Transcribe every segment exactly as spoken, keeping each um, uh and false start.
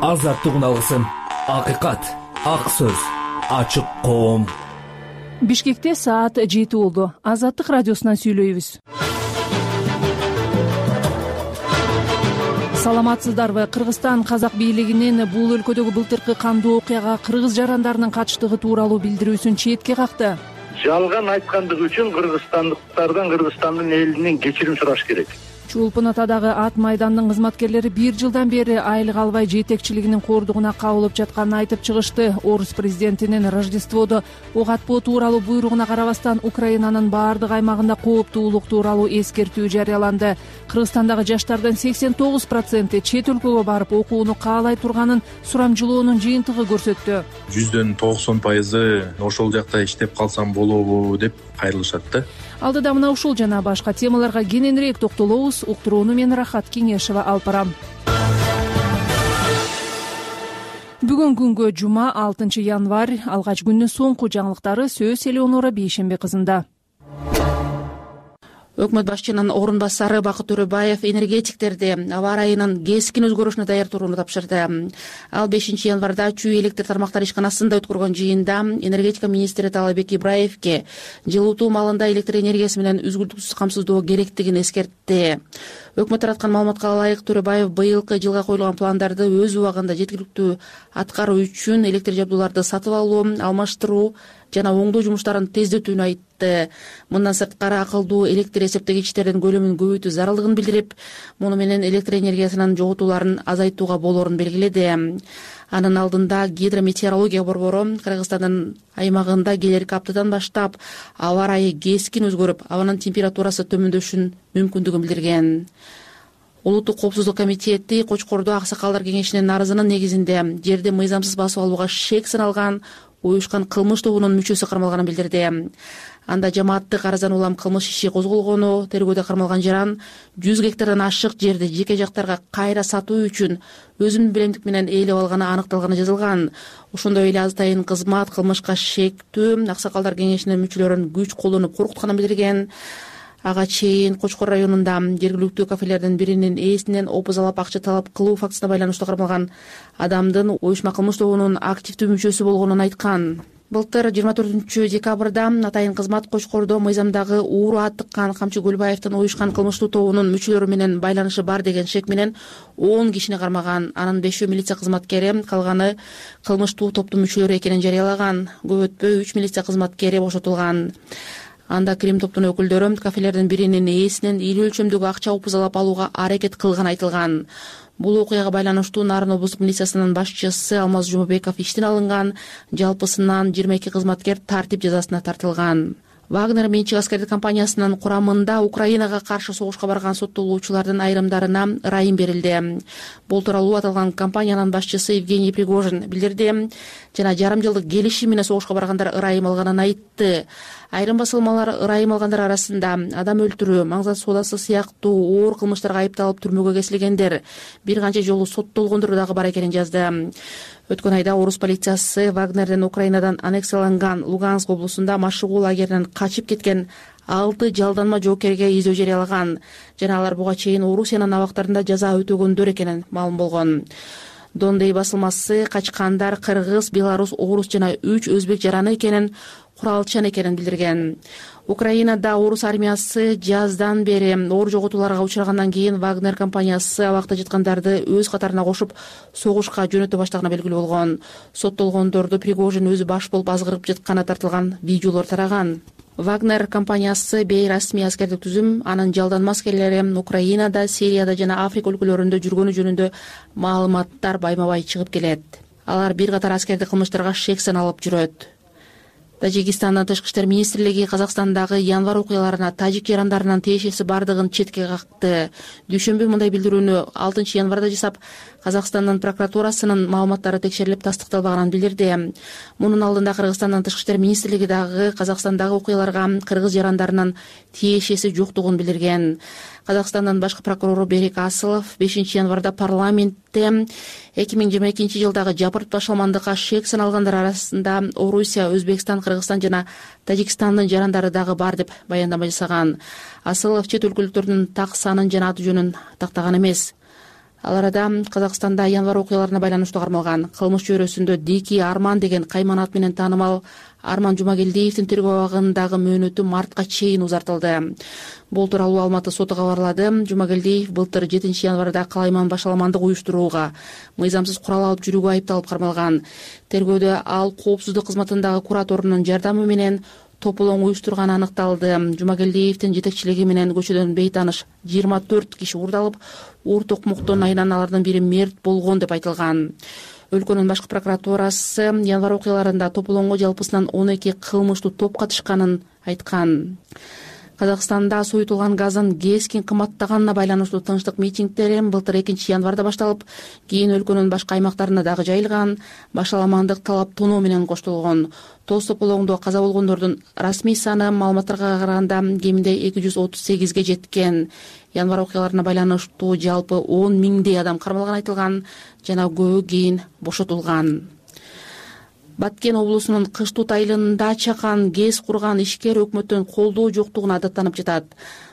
азаттык алгысын, акыйкат, ак сөз, ачык коом. Бишкекте саат жети болду. Азаттык радиосунан сүйлөйбүз. Саламатсыздарбы? Кыргызстан казак бийлигинин бул өлкөдөгү былтыркы кандуу окуяга кыргыз жарандарынын катыштыгы тууралуу билдирүүсүн четке какты. Жалган айткандыгы үчүн кыргызстандыктардан, Кыргызстандын элинен кечирим сураш керек. Чулпун Атадагы ат майдандын кызматкерлери бир жылдан бери айлык албай жетекчилигинин кордугуна кабылып жатканын айтып чыгышты. Орус президентинин Рождестводо ок атпоо тууралуу буйругуна карабастан Украинанын баардык аймагында кооптуулук тууралуу эскертүү жарыяланды. Кыргызстандагы жаштардын сексен тогуз проценти чет өлкөгө барып окууну каалай турганын сурамжылоонун жыйынтыгы көрсөттү. жүздөн токсон пайызы ошол жакта иштеп калсам болобу деп кайрылышат да. Алдыда мына ушул жана башка темаларга кененирээк токтолобуз. Уктурууну мен Рахат Кеңешева алып барам. Бүгүн күнгө жума алтынчы январь, алгач күндүн соңку жаңылыктары сөз Элеонора Бейшембек кызында. Өкмөт башчынын орун басары Бакыт Төрөбаев энергетиктерди аба ырайынын кескин өзгөрүшүнө даяр турууну тапшырды. Ал бешинчи январда Чүй электр тармактары ишканасында өткөргөн жыйында энергетика министри Таалайбек Ибраевке жылытуу маалында электр энергиясы менен үзгүлтүксүз камсыздоо керектигин эскертти. Өкмөт тараткан маалыматка ылайык, Төрөбаев быйылкы жылга коюлган пландарды өз убагында жеткиликтүү аткаруу үчүн электр жабдууларды сатып алуу, алмаштыруу жана оңдоо жумуштарын тездетүүнү айтты. Мындан сырткары акылдуу электр эсептегичтердин көлөмүн көбөйтүү зарылдыгын билдирип, муну менен электр энергиясынын жоготууларын азайтууга болоорун белгиледи. Анын алдында гидрометеорология борбору Кыргызстандын аймагында келерки аптадан баштап аба ырайы кескин өзгөрүп, абанын температурасы төмөндөшүнүн мүмкүндүгүн билдирген. Улуттук коопсуздук комитети Кочкордо аксакалдар кеңешинин арызынын негизинде жерди мыйзамсыз басып алууга шек саналган уюшкан кылмыш тобунун мүчөсү кармалганын билдирди. Анда жамааттык арыздан улам кылмыш иши козголгону, тергөөдө кармалган жаран жүз гектардан ашык жерди жеке жактарга кайра сатуу үчүн өзүнүн билемдик менен ээлеп алганы аныкталганы жазылган. Ошондой эле азатайын кызмат кылмышка шектүү аксакалдар кеңешинин мүчөлөрүн күч колдонуп коркутканын билдирген. Ага чейин Кочкор районунда жергиликтүү кафелердин биринин ээсинен опузалап акча талап кылуу фактысына байланыштуу кармалган адамдын уюшма кылмыш тобунун активдүү мүчөсү болгонун айткан. Былтыр жыйырма төртүнчү декабрда атайын кызмат Кочкордо мыйзамдагы ууру аттыккан Камчы Көлбаевдин уюшкан кылмыштуу тобунун мүчөлөрү менен байланышы бар деген шек менен он кишини кармаган. Анын бешөө милиция кызматкери, калганы кылмыштуу топтун мүчөлөрү экенин жарыялаган. Көп өтпөй үч милиция кызматкери бошотулган. Анда крим топтун өкүлдөрү кафелердин биринин ээсинен ийгилүү өлчөмдөгү акча опузалап алууга аракет кылганы айтылган. Бул окуяга байланыштуу Нарын облустук милициясынын башчысы Алмаз Жумабеков иштен алынган. Жалпысынан жыйырма эки кызматкер тартип жазасына тартылган. Вагнер менчик аскердик компаниясынын курамында Украинага каршы согушка барган соттолуучулардын айрымдарына ырайым берилди. Бул тууралуу аталган компаниянын башчысы Евгений Пригожин билдирди жана жарым жылдык келишим менен согушка баргандар ырайым алганын айтты. Айрым басылмалар ырайым алгандар арасында адам өлтүрүү, маңзат соодасы сыяктуу оор кылмыштарга айыпталып түрмөгө кесилгендер, бир канча жолу соттолгондор дагы бар экенин жазды. Өткөн айда орус полициясы Вагнерден Украинадан аннексияланган Луганск облусунда машыгуу лагеринен качып кеткен алты жалданма жоокерге издөө жарыялаган жана алар буга чейин Орусиянын абактарында жаза өтөгөндөр экенин маалым болгон. Дондей басылмасы качкандар кыргыз, белорус, орус жана үч өзбек жараны экенин, куралчан экенин билдирген. Украинада орус армиясы жаздан бери оор жоготууларга учрагандан кийин Вагнер компаниясы абакта жаткандарды өз катарына кошуп согушка жөнөтө баштаганы белгилүү болгон. Соттолгондорду Пригожин өзү баш болуп азгырып жатканы тартылган видеолор тараган. Вагнер компаниясы бейрасмий аскердик түзүм, анын жалданма аскерлери Украинада, Сирияда жана Африка өлкөлөрүндө жүргөнү жөнүндө маалыматтар байма-бай чыгып келет. Алар бир катар аскердик кылмыштарга шек саналып жүрөт. Тажикстандын тышкы иштер министрлиги Казакстандагы январь окуяларына тажик жарандарынын тиешеси бардыгын четке какты. Дүйшөмбү мындай билдирүүнү алтынчы январда жасап, Казакстандын прокуратурасынын маалыматтары текшерилип тастыкталбаганын билдирди. Мунун алдында Кыргызстандын тышкы иштер министрлиги дагы Казакстандагы окуяларга кыргыз жарандарынын тиешеси жоктугун билдирген. Казакстандын башкы прокурору Берик Асылов бешинчи январда парламентте эки миң жыйырма экинчи жылдагы жапырт башаламандыкка шек саналгандар арасында Орусия, Өзбекстан, Кыргызстан жана Тажикстандын жарандары дагы бар деп баяндама жасаган. Асылов чет өлкөлүктөрдүн так санын жана аты жөнүн тактаган эмес. Ал арада Казакстанда январь окуяларына байланыштуу кармалган кылмыш чөйрөсүндө Дики Арман деген кайман ат менен таанымал Арман Жумагелдиевдин тергөө абагындагы мөөнөтү мартка чейин узартылды. Бул тууралуу Алматы соту кабарлады. Жумагелдиев былтыр жетинчи январда калайман башаламандык уюштурууга, мыйзамсыз курал алып жүрүүгө айыпталып кармалган. Тергөөдө ал коопсуздук кызматындагы кураторунун жардамы менен тополоң уюштурганы аныкталды. Жумагелдиевдин жетекчилиги менен көчөдөн бейтааныш жыйырма төрт киши уурдалып, оор токмоктон айынан алардын бири мерт болгон деп айтылган. Өлкөнүн башкы прокуратурасы январь окуяларында тополоңго жалпысынан он эки кылмыштуу топ катышканын айткан. Казакстанда соютулган газдын кескин кымбаттаганына байланыштуу тынчтык митингдери былтыр экинчи январда башталып, кийин өлкөнүн башка аймактарына дагы жайылган. Башаламандык талап тоноо менен коштолгон. Тоз тополоңдо каза болгондордун расмий саны маалыматтарга караганда кеминде эки жүз отуз сегизге жеткен. Январь окуяларына байланыштуу жалпы он миңдей адам кармалганы айтылган жана көбү кийин бошотулган. Баткен облусунун Кыштут айылында чакан ГЭС курган ишкер өкмөттөн колдоо жоктугуна даттанып жатат.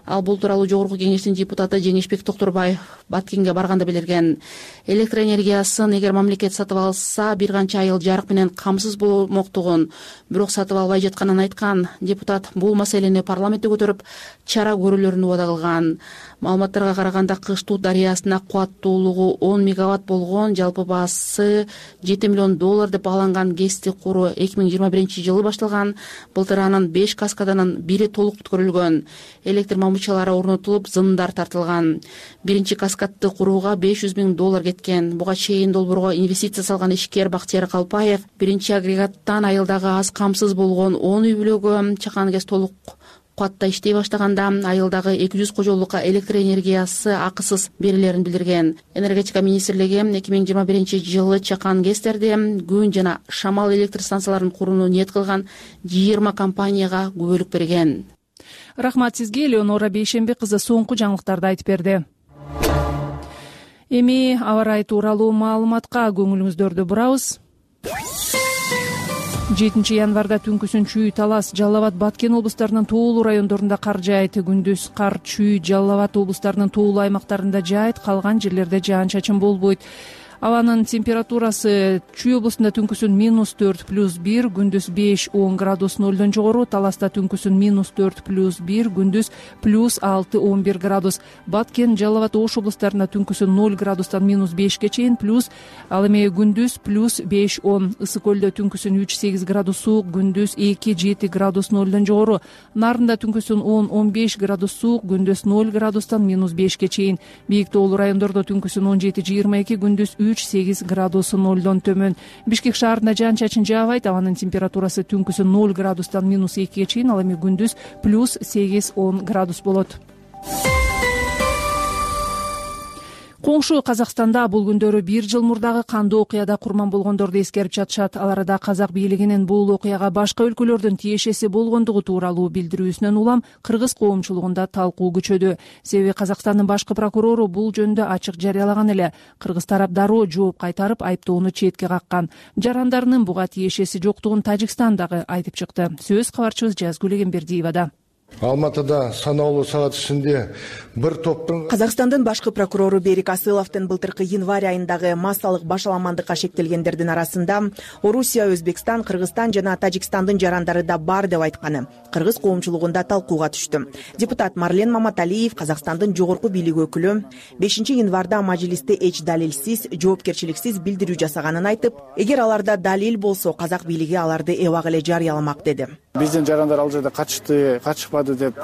Ал бул тууралуу Жогорку Кеңештин депутаты Жеңишбек Токторбаев Баткенге барганда билдирген. Электр энергиясын эгер мамлекет сатып алса, бир канча айыл жарык менен камсыз болмоктугун, бирок сатып албай жатканын айткан. Депутат бул маселени парламентте көтөрүп, чара көрүүлөрүн убада кылган. Маалыматтарга караганда Кыштут дарыясына кубаттуулугу он мегаватт болгон, жалпы баасы жети миллион доллар деп бааланган ГЭСти куруу эки миң жыйырма биринчи жылы башталган. Былтыр анын беш каскаданын бири толук бүткөрүлгөн. Электр мамычалары орнотулуп, зымдар тартылган. Биринчи каскадты курууга беш жүз миң доллар кеткен. Буга чейин долбоорго инвестиция салган ишкер Бактияр Калпаев биринчи агрегаттан айылдагы аз камсыз болгон он үй бүлөгө чакан ГЭС толук кубатта иштей баштаганда айылдагы эки жүз кожолукка электр энергиясы акысыз берилерин билдирген. Энергетика министрлиги эки миң жыйырма биринчи жылы чакан ГЭСтерде күн жана шамал электр станцияларын курууну ниет кылган жыйырма компанияга күбөлүк берген. Рахмат сизге, Элеонора Бейшембек кызы соңку жаңылыктарды айтып берди. Эми аба ырайы тууралуу маалыматка көңүлүңүздөрдү бурабыз. жетинчи январда түнкүсүн Чүй, Талас, Жалал Абад, Баткен облустарынын тоолуу райондорунда кар жаайт. Күндүз кар Чүй, Жалал Абад облустарынын тоолуу аймактарында жаайт, калган жерлерде жаан-чачын болбойт. Абанын температурасы Чүй облусунда түнкүсүн минус төрт плюс бир, күндүз беш он градус нолдон жогору, Таласта түнкүсүн минус төрт плюс бир, күндүз плюс алты он бир градус. Баткен, Жалал Абад, Ош облустарында түнкүсүн ноль градустан минус бешке чейин плюс, ал эми күндүз плюс беш он. Ысык көлдө түнкүсүн үч сегиз градус суук, күндүз эки жети градус нолдон жогору. Нарында түнкүсүн он он беш градус суук, күндүз ноль градустан минус бешке чейин. Бийик тоолуу райондордо түнкүсүн он жети жыйырма эки, күндүз үч сегиз градус нолдон төмөн. Бишкек шаарында жаан-чачын жаабайт, абанын температурасы түнкүсүн ноль градустан минус экиге чейин, ал эми күндүз плюс сегиз он градус болот. Коңшу Казакстанда бул күндөрү бир жыл мурдагы кандуу окуяда курман болгондорду эскерип жатышат. Ал арада казак бийлигинин бул окуяга башка өлкөлөрдүн тиешеси болгондугу тууралуу билдирүүсүнөн улам кыргыз коомчулугунда талкуу күчөдү. Себеби Казакстандын башкы прокурору бул жөнүндө ачык жарыялаган эле. Кыргыз тарап дароо жооп кайтарып, айыптоону четке каккан. Жарандарынын буга тиешеси жоктугун Тажикстан дагы айтып чыкты. Сөз кабарчыбыз Жазгүл Эгембердиевада. Алматыда санаулуу саат ичинде бир топтун Казакстандын башкы прокурору Берик Асыловдун былтыркы январь айындагы массалык башаламандыкка шектелгендердин арасында Орусия, Өзбекстан, Кыргызстан жана Тажикстандын жарандары да бар деп айтканы кыргыз коомчулугунда талкууга түштү. Депутат Марлен Маматалиев, Казакстандын жогорку бийлик өкүлү, бешинчи январда мажлисте эч далилсиз, жоопкерчиликсиз билдирүү жасаганын айтып, эгер аларда далил болсо, казак бийлиги аларды эбак эле жарыяламак деди. Биздин жарандар ал жерде качышты, качышпады деп,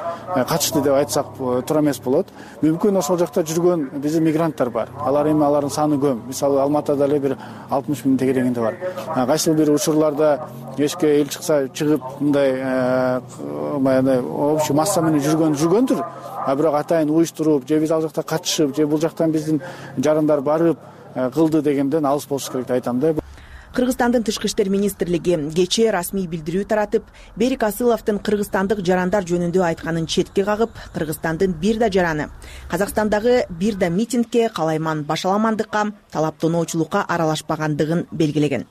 качышты деп айтсак туура эмес болот. Мүмкүн ошол жакта жүргөн биздин мигранттар бар. Алар эми алардын саны көп. Мисалы Алматыда эле бир алтымыш миң тегерегинде бар. Кайсы бир учурларда эшикке эл чыкса чыгып мындай баягы общий масса менен жүргөн жүргөндүр. А бирок атайын уюштуруп, же биз ал жакта катышып, же бул жактан биздин жарандар барып кылды дегенден алыс болуш керек деп айтам да. Кыргызстандын тышкы иштер министрлиги кечээ расмий билдирүү таратып, Берик Асыловдун кыргызстандык жарандар жөнүндө айтканын четке кагып, Кыргызстандын бир да жараны Казакстандагы бир да митингке, калайман башаламандыкка, талаптоноочулукка аралашпагандыгын белгилеген.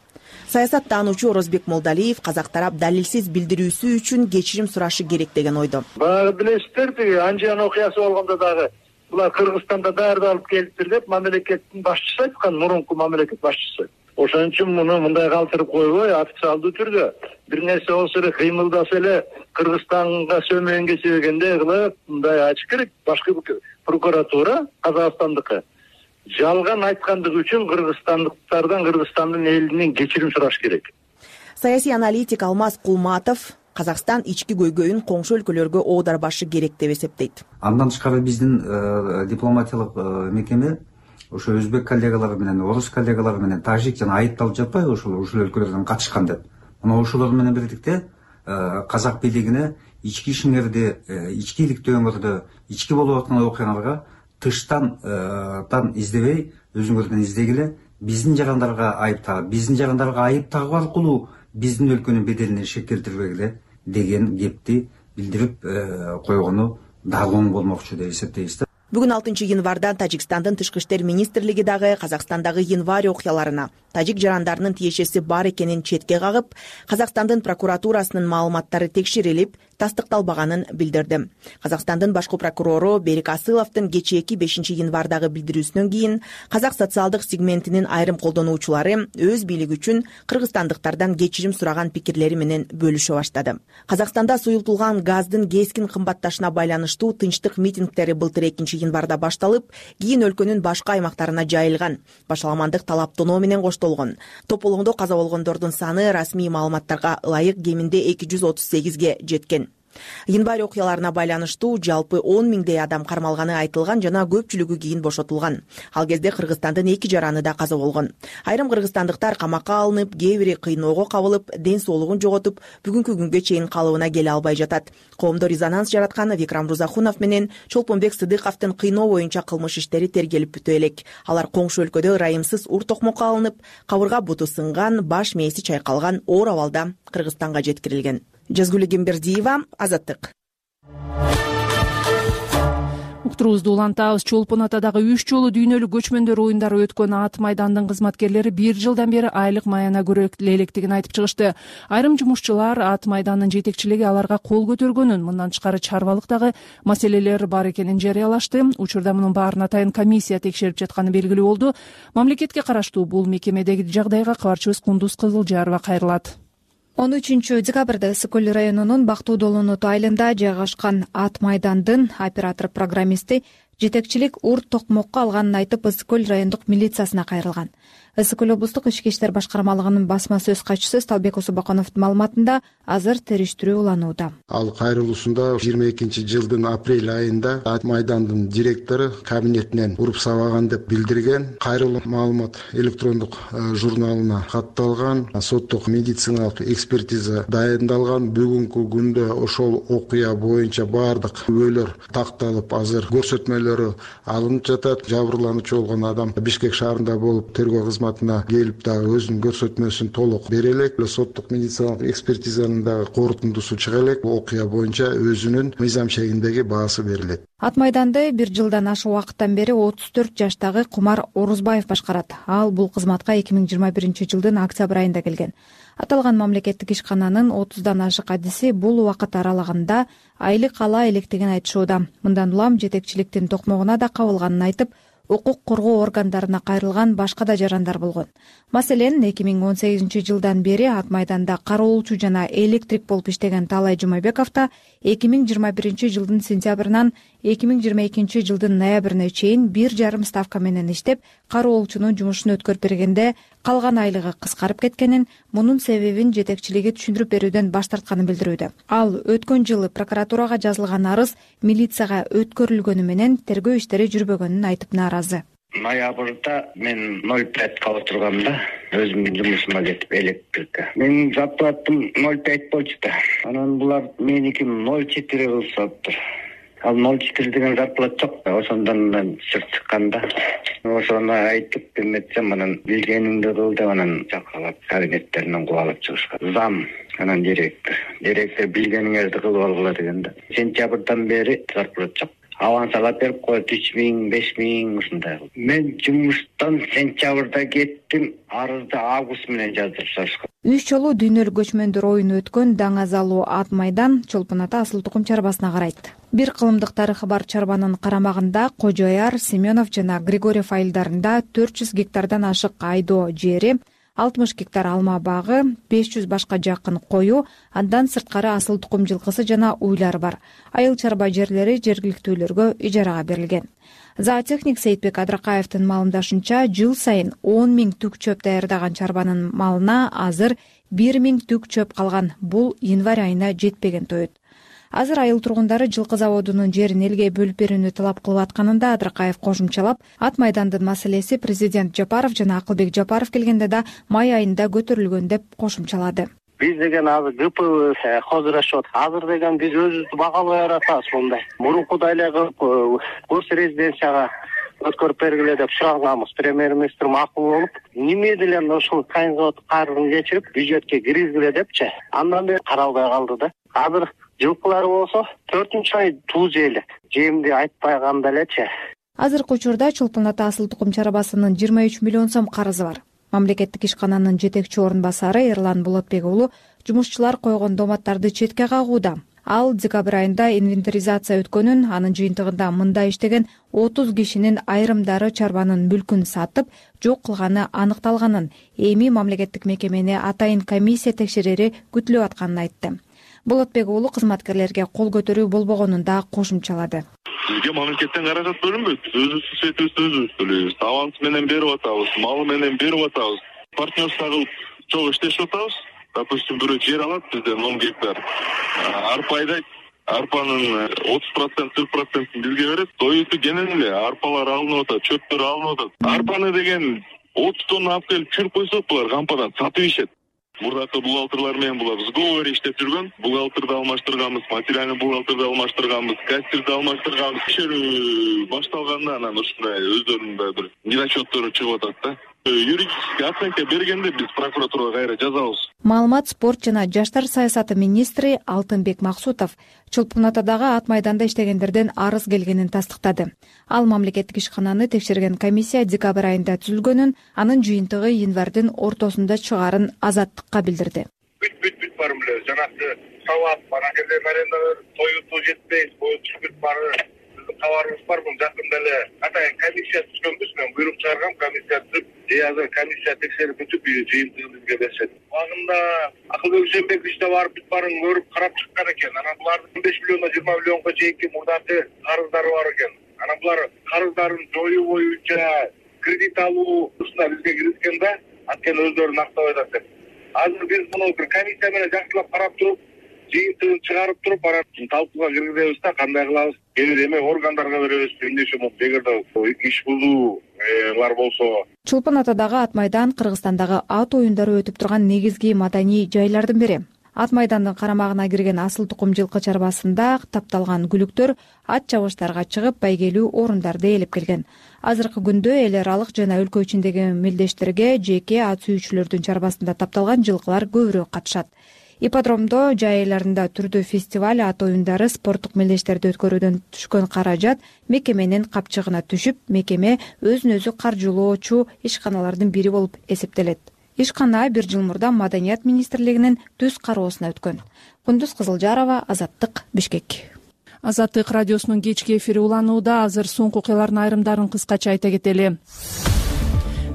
Саясаттануучу Орозбек Молдалиев казак тарап далилсиз билдирүүсү үчүн кечирим сурашы керек деген ойдо. Баягы билесиздер, тиги Анжан окуясы болгондо дагы булар Кыргызстанда даярдалып келиптир деп мамлекеттин башчысы айткан, мурунку мамлекет башчысы. Ошон үчүн муну мындай калтырып койбой, официалдуу түрдө бир нерсе болсо эле кыймылдаса эле Кыргызстанга сөмөң кечиргендей кылып мындай ачык керек. Башкы прокуратура Казакстандыкы жалган айткандыгы үчүн кыргызстандыктардан, Кыргызстандын элинен кечирим сураш керек. Саясий аналитик Алмаз Кулматов Казакстан ички көйгөйүн коңшу өлкөлөргө оодарбашы керек деп эсептейт. Андан тышкары биздин дипломатиялык мекеме ошо өзбек коллегалары менен, орус коллегалары менен, тажик жана айыпталып жатпайбы ошол ушул өлкөлөрдөн катышкан деп. Мына ошолор менен бирликте казак бийлигине ички ишиңерди, ички иликтөөңөрдү, ички болуп аткан окуяларга тыштан тан издебей, өзүңөрдөн издегиле, биздин жарандарга айыптагы, биздин жарандарга айып тагуу аркылуу биздин өлкөнүн беделине шек келтирбегиле деген кепти билдирип койгону дагы оң болмокчу деп эсептейбиз. Бүгүн алтынчы январда Тажикстандын тышкы иштер министрлиги дагы Казакстандагы январь окуяларына тажик жарандарынын тиешеси бар экенин четке кагып, Казакстандын прокуратурасынын маалыматтары текшерилип, тастыкталбаганын билдирди. Казакстандын башкы прокурору Берик Асыловдун кечээки бешинчи январдагы билдирүүсүнөн кийин казак социалдык сегментинин айрым колдонуучулары өз бийлиги үчүн кыргызстандыктардан кечирим сураган пикирлери менен бөлүшө баштады. Казакстанда суюлтулган газдын кескин кымбатташына байланыштуу тынчтык митингдери былтыр экинчи январда башталып, кийин өлкөнүн башка аймактарына жайылган. Башаламандык талаптоноо менен коштолгон. Тополоңдо каза болгондордун саны расмий маалыматтарга ылайык кеминде эки жүз отуз сегизге жеткен. Январь окуяларына байланыштуу жалпы он миңдей адам кармалганы айтылган жана көпчүлүгү кийин бошотулган. Ал кезде Кыргызстандын эки жараны да каза болгон. Айрым кыргызстандыктар камакка алынып, кээ бири кыйноого кабылып, ден соолугун жоготуп, бүгүнкү күнгө чейин калыбына келе албай жатат. Коомдо резонанс жараткан Викрам Рузахунов менен Чолпонбек Сыдыковдун кыйноо боюнча кылмыш иштери тергелип бүтө элек. Алар коңшу өлкөдө ырайымсыз ур токмокко алынып, кабырга буту сынган, баш мээси чайкалган оор абалда Кыргызстанга жеткирилген. Жазгүл Гембердиева, Азаттык. Уктуруубузду улантабыз. Чолпон Атадагы үч жолу дүйнөлүк көчмөндөр оюндары өткөн Ат майдандын кызматкерлери бир жылдан бери айлык маяна көрө электигин айтып чыгышты. Айрым жумушчулар Ат майдандын жетекчилиги аларга кол көтөргөнүн, мындан тышкары чарбалыктагы маселелер бар экенин жарыялашты. Учурда мунун баарын атайын комиссия текшерип жатканы белгилүү болду. Мамлекетке караштуу бул мекемедеги жагдайга кабарчыбыз Кундуз Кызылжарова кайрылат. он үчүнчү декабрда Ысык көл районунун Бактуу Долонот айылында жайгашкан Ат майдандын оператор-программисти жетекчилик ур токмокко алганын айтып Ысык көл райондук милициясына кайрылган. Ысык көл облустук ички иштер башкармалыгынын басма сөз катчысы Сталбек Усубакановдун маалыматында азыр териштирүү уланууда. Ал кайрылуусунда жыйырма экинчи жылдын апрель айында Ат майдандын директору кабинетинен уруп сабаган деп билдирген. Кайрылуу маалымат электрондук журналына катталган, соттук медициналык экспертиза дайындалган. Бүгүнкү күндө ошол окуя боюнча баардык күбөлөр такталып, азыр көрсөтмөлөрү алынып жатат. Жабырлануучу болгон адам Бишкек шаарында болуп, тергөө кызматына келип дагы өзүнүн көрсөтмөсүн толук бере элек. Соттук медициналык экспертизанын дагы корутундусу чыга элек. Окуя боюнча өзүнүн мыйзам шегиндеги баасы берилет. Ат майданды бир жылдан ашык убакыттан бери отуз төрт жаштагы Кумар Орузбаев башкарат. Ал бул кызматка эки миң жыйырма биринчи жылдын октябрь айында келген. Аталган мамлекеттик ишкананын отуздан ашык адиси бул убакыт аралыгында айлык ала электигин айтышууда. Мындан улам жетекчиликтин токмогуна да кабылганын айтып, укук коргоо органдарына кайрылган башка да жарандар болгон. Маселен, эки миң он сегизинчи жылдан бери Ат майданда кароолчу жана электрик болуп иштеген Таалай Жумабеков да эки миң жыйырма биринчи жылдын сентябрынан эки миң жыйырма экинчи жылдын ноябрына чейин бир жарым ставка менен иштеп, кароолчунун жумушун өткөрүп бергенде калган айлыгы кыскарып кеткенин, мунун себебин жетекчилиги түшүндүрүп берүүдөн баш тартканын билдирүүдө. Ал өткөн жылы прокуратурага жазылган арыз милицияга өткөрүлгөнү менен тергөө иштери жүрбөгөнүн айтып нааразы. Ноябрда мен ноль пять кала турганда өзүмдүн жумушума кетип электрикке. Менин зарплатам ноль пять болчу да. Анан булар меники ноль четыре кылышаптыр. Ал ноль четыре деген зарплат жок. Ошондон чыгып чыкканда ошону айтып эметсем, анан билгениңди кыл деп анан жакалап кабинеттеринен кубалап чыгышкан. Зам, анан директор. Директор билгениңерди кылып алгыла дегенде. Сентябрдан бери зарплат жок. аванс алып берип коет, үч миң беш миң ушундай. Мен жумуштан сентябрда кеттим, арызды август менен жаздырышкан. Үч жолу дүйнөлүк көчмөндөр оюну өткөн Даңазалуу ат майдан Чолпон ата асыл тукум чарбасына карайт. Бир кылымдык тарыхы бар чарбанын карамагында Кожо Аяр, Семенов жана Григорьев айылдарында төрт жүз гектардан ашык айдоо жери, алтымыш гектар алма багы, беш жүз башка жакын кою, андан сырткары асыл тукум жылкысы жана уйлар бар. Айыл чарба жерлери жергиликтүүлөргө ижарага берилген. Зоотехник Сейитбек Адракаевдин маалымдашынча, жыл сайын он миң түк чөп даярдаган чарбанын малына азыр бир миң түк чөп калган. Бул январь айына жетпеген тоет. Азыр айыл тургундары жылкы заводунун жерин элге бөлүп берүүнү талап кылып атканын да Адракаев кошумчалап, ат майдандын маселеси президент Жапаров жана Акылбек Жапаров келгенде да май айында көтөрүлгөн деп кошумчалады. Биз деген азыр ГП хозурлашып атат. Азыр деген биз өзүбүздү багалабай атабыз мындай. Мурункудай эле кылып гос резиденцияга өткөрүп бергиле деп сураганбыз. Премьер-министр макул болуп, неме деле ошол кайын завод карызын кечирип, бюджетке киргизгиле депчи. Андан бери каралбай калды да. Азыр жылкылары болсо төртүнчү ай туз эле. Жемди айтпай калганда элечи. Азыркы учурда Чолпон ата асыл тукум чарбасынын жыйырма үч миллион сом карызы бар. Мамлекеттик ишкананын жетекчи орун басары Эрлан Болотбек уулу жумушчулар койгон доматтарды четке кагууда. Ал декабрь айында инвентаризация өткөнүн, анын жыйынтыгында мында иштеген отуз кишинин айрымдары чарбанын мүлкүн сатып, жок кылганы аныкталганын, эми мамлекеттик мекемени атайын комиссия текшерери күтүлүп атканын айтты. Болотбек уулу кызматкерлерге кол көтөрүү болбогонун да кошумчалады. Бизге мамлекеттен каражат бөлүнбөйт. Өзүбүз светибизди өзүбүз төлөйбүз. Аванс менен берип атабыз, малы менен берип атабыз. Партнерство кылып чогуу иштешип атабыз. Допустим, бирөө жер алат бизден он гектар. Арпа айдайт. Арпанын отуз процент, кырк процентин бизге берет. Союзду кенен эле арпалар алынып атат, чөптөр алынып атат. Арпаны деген отуз тонна алып келип чүрүп койсок, булар кампадан сатып ишет. Мурдакы бухгалтерлар менен булар сговор иштеп жүргөн. Бухгалтерди алмаштырганбыз, материальный бухгалтерди алмаштырганбыз, кассирди алмаштырганбыз. Текшерүү башталганда анан ушундай өздөрүнүн да бир недочёттору чыгып атат да. Юридический оценка бергенде биз прокуратурага кайра жазабыз. Маалымат, спорт жана жаштар саясаты министри Алтынбек Максутов Чолпон атадагы ат майданда иштегендерден арыз келгенин тастыктады. Ал мамлекеттик ишкананы текшерген комиссия декабрь айында түзүлгөнүн, анын жыйынтыгы январдын ортосунда чыгарын Азаттыкка билдирди. Бүт бүт бүт бар беле, жанагы сабап, ана жерде аренда тоюту жетпейт, бою түшүп бары. Кабарыбыз бар, бул жакында эле атайын комиссия түзгөнбүз, мен буйрук чыгаргам, комиссия түзүп, же азыр комиссия текшерип бүтүп, жыйынтыгын бизге беришет. Убагында Акылбек Жээнбекович да барып, бүт барын көрүп, карап чыккан экен. Анан булардын он беш миллиондон жыйырма миллионго чейинки мурдакы карыздары бар экен. Анан булар карыздарын жоюу боюнча кредит алуусуна бизге киришкен да, анткени өздөрүн актабай атат деп. Азыр биз муну бир комиссия менен жакшылап карап туруп, жыйынтыгын чыгарып туруп, анан талкууга киргизебиз да, кандай кылабыз? Кээ эме органдарга беребиз, эмнеше болуп, эгерде иш бузуулар болсо. Чолпон атадагы ат майдан Кыргызстандагы ат оюндары өтүп турган негизги маданий жайлардын бири. Ат майдандын карамагына кирген асыл тукум жылкы чарбасында тапталган күлүктөр ат чабыштарга чыгып, байгелүү орундарды ээлеп келген. Азыркы күндө эл аралык жана өлкө ичиндеги мелдештерге жеке ат сүйүүчүлөрдүн чарбасында тапталган жылкылар көбүрөөк катышат. Ипподромдо жай айларында түрдүү фестиваль, ат оюндары, спорттук мелдештерди өткөрүүдөн түшкөн каражат мекеменин капчыгына түшүп, мекеме өзүн өзү каржылоочу ишканалардын бири болуп эсептелет. Ишкана бир жыл мурда Маданият министрлигинин түз кароосуна өткөн. Кундуз Кызылжарова, Азаттык, Бишкек. Азаттык радиосунун кечки эфири уланууда. Азыр соңку окуялардын айрымдарын кыскача айта кетели.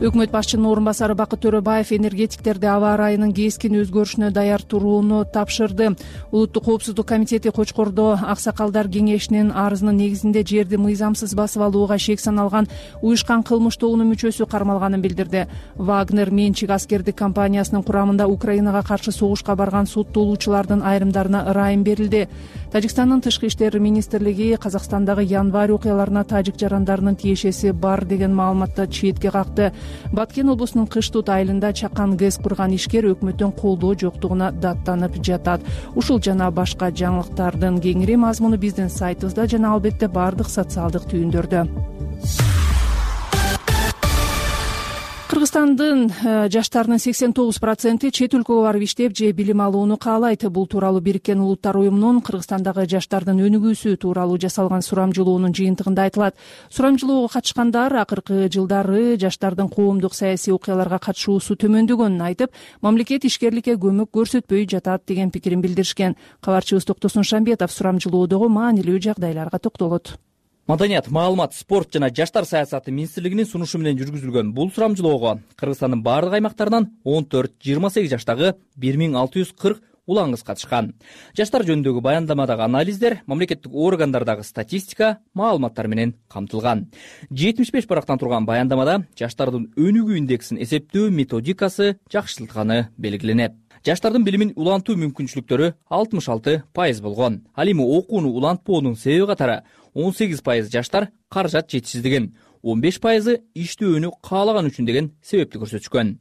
Өкмөт башчынын орун басары Бакыт Төрөбаев энергетиктерди аба ырайынын кескин өзгөрүшүнө даяр турууну тапшырды. Улуттук коопсуздук комитети Кочкордо аксакалдар кеңешинин арызынын негизинде жерди мыйзамсыз басып алууга шек саналган уюшкан кылмыш тобунун мүчөсү кармалганын билдирди. Вагнер менчик аскердик компаниясынын курамында Украинага каршы согушка барган соттолуучулардын айрымдарына ырайым берилди. Тажикстандын тышкы иштер министрлиги Казакстандагы январь окуяларына тажик жарандарынын тиешеси бар деген маалыматты четке какты. Баткен облусунун Кыштут айылында чакан ГЭС курган ишкер өкмөттөн колдоо жоктугуна даттанып жатат. Ушул жана башка жаңылыктардын кеңири мазмуну биздин сайтыбызда жана албетте бардык социалдык түйүндөрдө. Кыргызстандын жаштарынын сексен тогуз проценти чет өлкөгө барып иштеп же билим алууну каалайт. Бул тууралуу Бириккен Улуттар уюмунун Кыргызстандагы жаштардын өнүгүүсү тууралуу жасалган сурамжылоонун жыйынтыгында айтылат. Сурамжылоого катышкандар акыркы жылдары жаштардын коомдук саясий окуяларга катышуусу төмөндөгөнүн айтып, мамлекет ишкерликке көмөк көрсөтпөй жатат деген пикирин билдиришкен. Кабарчыбыз Токтосун Шамбетов сурамжылоодогу маанилүү жагдайларга токтолот. Маданият, маалымат, спорт жана жаштар саясаты министрлигинин сунушу менен жүргүзүлгөн бул сурамжылоого Кыргызстандын бардык аймактарынан он төрт жыйырма сегиз жаштагы бир миң алты жүз кырк улан кыз катышкан. Жаштар жөнүндөгү баяндамадагы анализдер, мамлекеттик органдардагы статистика, маалыматтар менен камтылган. жетимиш беш барактан турган баяндамада жаштардын өнүгүү индексин эсептөө методикасы жакшыртылганы белгиленет. Жаштардын билимин улантуу мүмкүнчүлүктөрү алтымыш алты пайыз болгон. Ал эми окууну улантпоонун себеби катары он сегиз пайыз жаштар каражат жетишсиздигин, он беш пайызы иштөөнү каалаган үчүн деген себепти көрсөтүшкөн.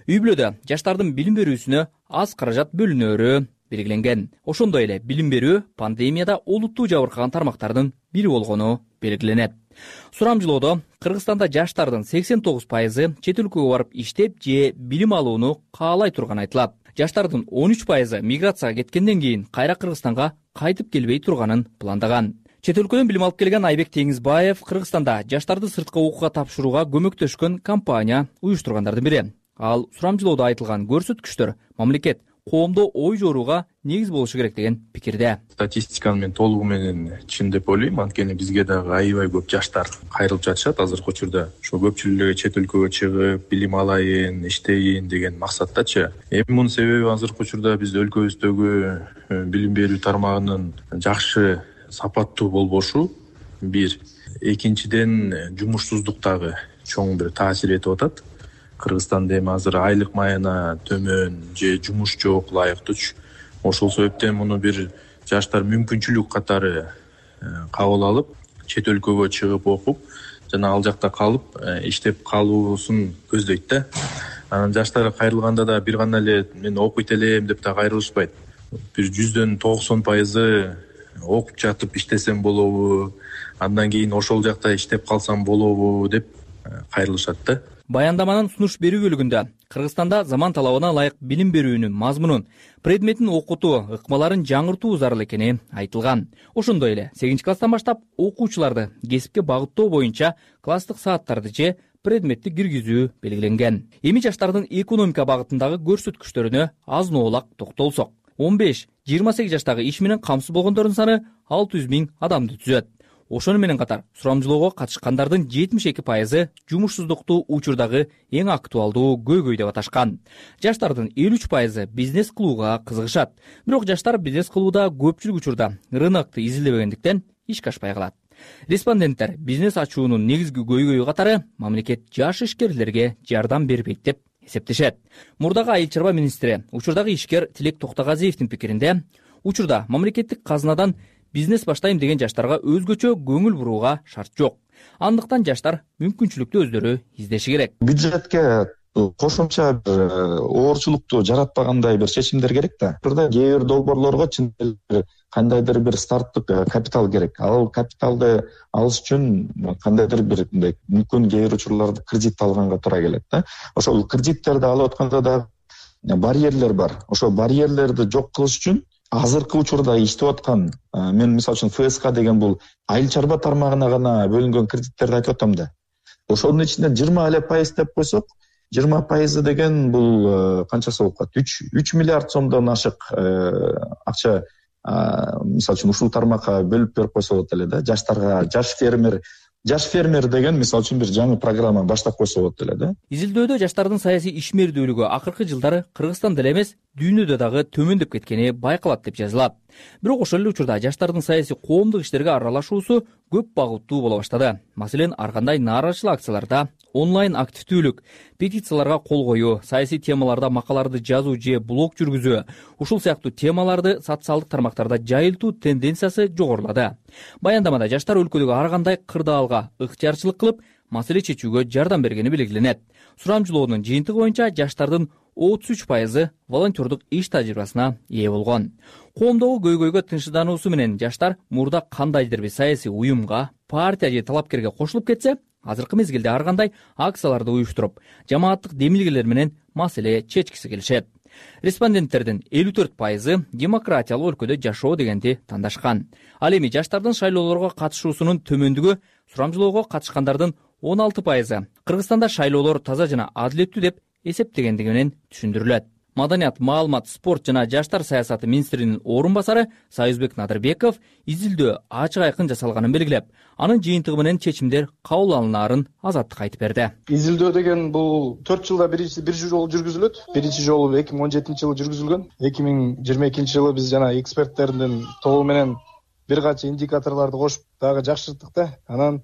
Үй бүлөдө жаштардын билим берүүсүнө аз каражат бөлүнөөрү белгиленген. Ошондой эле билим берүү пандемияда олуттуу жабыркаган тармактардын бири болгону белгиленет. Сурамжылоодо Кыргызстанда жаштардын сексен тогуз пайызы чет өлкөгө барып иштеп же билим алууну каалай турганы айтылат. Жаштардын он үч пайызы миграцияга кеткенден кийин кайра Кыргызстанга кайтып келбей турганын пландаган. Чет өлкөдөн билим алып келген Айбек Теңизбаев Кыргызстанда жаштарды сырткы окууга тапшырууга көмөктөшкөн компания уюштургандардын бири. Ал сурамжылоодо айтылган көрсөткүчтөр мамлекет коомдо ой жорууга негиз болушу керек деген пикирде. Статистиканы мен толугу менен чын деп ойлойм, анткени бизге дагы аябай көп жаштар кайрылып жатышат азыркы учурда. Ошо көпчүлүгү чет өлкөгө чыгып, билим алайын, иштейин деген максаттачы. Эми мунун себеби азыркы учурда биз өлкөбүздөгү билим берүү тармагынын жакшы сапаттуу болбошу бир. Экинчиден жумушсуздук дагы чоң бир таасир этип атат. Кыргызстанда эми азыр айлык майына төмөн же жумуш жок, ылайыктуу. Ошол себептен муну бир жаштар мүмкүнчүлүк катары кабыл алып, чет өлкөгө чыгып окуп, жана ал жакта калып иштеп калуусун көздөйт да. Анан жаштар кайрылганда да бир гана эле мен окуйт элем деп да кайрылышпайт. Бир жүздөн токсон пайызы окуп жатып иштесем болобу, андан кийин ошол жакта иштеп калсам болобу деп кайрылышат да. Баяндаманын сунуш берүү бөлүгүндө Кыргызстанда заман талабына ылайык билим берүүнүн мазмунун, предметин окутуу, ыкмаларын жаңыртуу зарыл экени айтылган. Ошондой эле сегизинчи класстан баштап окуучуларды кесипке багыттоо боюнча класстык сааттарды же предметти киргизүү белгиленген. Эми жаштардын экономика багытындагы көрсөткүчтөрүнө азын-оолак токтолсок, он беш жыйырма сегиз жаштагы иш менен камсыз болгондордун саны алты жүз миң адамды түзөт. Ошону менен катар сурамжылоого катышкандардын жетимиш эки пайызы жумушсуздукту учурдагы эң актуалдуу көйгөй деп аташкан. Жаштардын элүү үч пайызы бизнес кылууга кызыгышат. Бирок жаштар бизнес кылууда көпчүлүк учурда рынокду изилдебегендиктен ишке ашпай калат. Респонденттер бизнес ачуунун негизги көйгөйү катары мамлекет жаш ишкерлерге жардам бербейт деп эсептешет. Мурдагы айыл чарба министри, учурдагы ишкер Тилек Токтогазиевдин пикиринде, учурда мамлекеттик казынадан бизнес баштайм деген жаштарга өзгөчө көңүл бурууга шарт жок. Андыктан жаштар мүмкүнчүлүктү өздөрү издеши керек. Бюджетке кошумча бир оорчулукту жаратпагандай бир чечимдер керек да. Турда кээ бир долбоорлорго чын эле кандайдыр бир старттык капитал керек. Ал капиталды алыш үчүн кандайдыр бир мындай мүмкүн кээ бир учурларда кредит алганга туура келет да. Ошол кредиттерди алып атканда да барьерлер бар. Ошол барьерлерди жок кылыш үчүн азыркы учурда иштеп аткан, мен мисалы үчүн эф эс ка деген бул айыл чарба тармагына гана бөлүнгөн кредиттерди айтып атам да. Ошонун ичинде жыйырма эле пайыз деп койсок, жыйырма пайызы деген бул канчасы болуп калат? үч миллиард сомдон ашык акча мисалы үчүн ушул тармакка бөлүп берип койсо болот эле да. Жаштарга жаш фермер Жаш фермер деген мисалы үчүн бир жаңы программа баштап койсо болот эле да. Изилдөөдө жаштардын саясий ишмердүүлүгү акыркы жылдары Кыргызстанда эле эмес, дүйнөдө дагы төмөндөп кеткени байкалат деп жазылат. Бирок ошол эле учурда жаштардын саясий коомдук иштерге аралашуусу көп багыттуу боло баштады. Маселен, ар кандай нааразычылык акцияларда, онлайн активдүүлүк, петицияларга кол коюу, саясий темаларда макалаларды жазуу же блог жүргүзүү, ушул сыяктуу темаларды социалдык тармактарда жайылтуу тенденциясы жогорулады. Баяндамада жаштар өлкөдөгү ар кандай кырдаалга ыктыярчылык кылып, маселе чечүүгө жардам бергени белгиленет. Сурамжылоонун жыйынтыгы боюнча жаштардын отуз үч пайызы волонтердук иш тажрыйбасына ээ болгон. Коомдогу көйгөйгө тынчсыздануусу менен жаштар мурда кандайдыр бир саясий уюмга, партия же талапкерге кошулуп кетсе, азыркы мезгилде ар кандай акцияларды уюштуруп, жамааттык демилгелер менен маселе чечкиси келишет. Респонденттердин элүү төрт пайызы демократиялык өлкөдө жашоо дегенди тандашкан. Ал эми жаштардын шайлоолорго катышуусунун төмөндүгү сурамжылоого катышкандардын он алты пайызы Кыргызстанда шайлоолор таза жана адилеттүү деп эсептегендиги менен түшүндүрүлөт. Маданият, маалымат, спорт жана жаштар саясаты министринин орун басары Союзбек Надырбеков изилдөө ачык айкын жасалганын белгилеп, анын жыйынтыгы менен чечимдер кабыл алынаарын азаттыкка айтып берди. Изилдөө деген бул төрт жылда бир жолу жүргүзүлөт. Биринчи жолу эки миң он жетинчи жылы жүргүзүлгөн. эки миң жыйырма экинчи жылы биз жана эксперттердин тобу менен бир канча индикаторлорду кошуп дагы жакшырттык да. Анан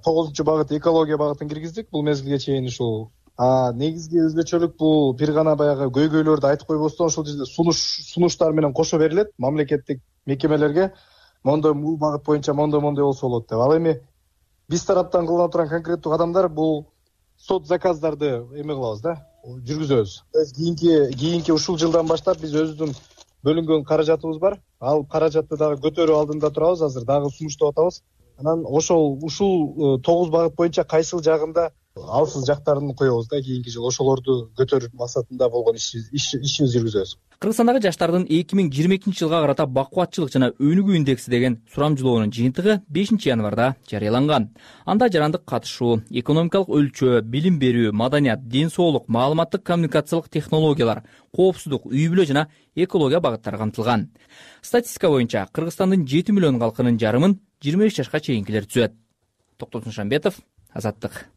тогузунчу багыт экология багытын киргиздик. Бул мезгилге чейин ушул А негизги өзгөчөлүк бул бир гана баягы көйгөйлөрдү айтып койбостон ошол жерде сунуш сунуштар менен кошо берилет мамлекеттик мекемелерге. Мондой бул багыт боюнча мондой мондой болсо болот деп. Ал эми биз тараптан кылына турган конкреттүү кадамдар бул сот заказдарды эме кылабыз да, жүргүзөбүз. Кийинки кийинки ушул жылдан баштап биз өзүбүздүн бөлүнгөн каражатыбыз бар. Ал каражатты дагы көтөрүү алдында турабыз, азыр дагы сунуштап атабыз. Анан ошол ушул тогуз багыт боюнча кайсыл жагында алсыз жактарын коебуз да, кийинки жыл ошолорду көтөрүп максатында болгон ишибизди жүргүзөбүз. Кыргызстандагы жаштардын эки миң жыйырма экинчи жылга карата бакубатчылык жана өнүгүү индекси деген сурамжылоонун жыйынтыгы бешинчи январда жарыяланган. Анда жарандык катышуу, экономикалык өлчөө, билим берүү, маданият, ден соолук, маалыматтык коммуникациялык технологиялар, коопсуздук, үй бүлө жана экология багыттары камтылган. Статистика боюнча Кыргызстандын жети миллион калкынын жарымын жыйырма беш жашка чейинкилер түзөт. Токтосун Шамбетов, Азаттык.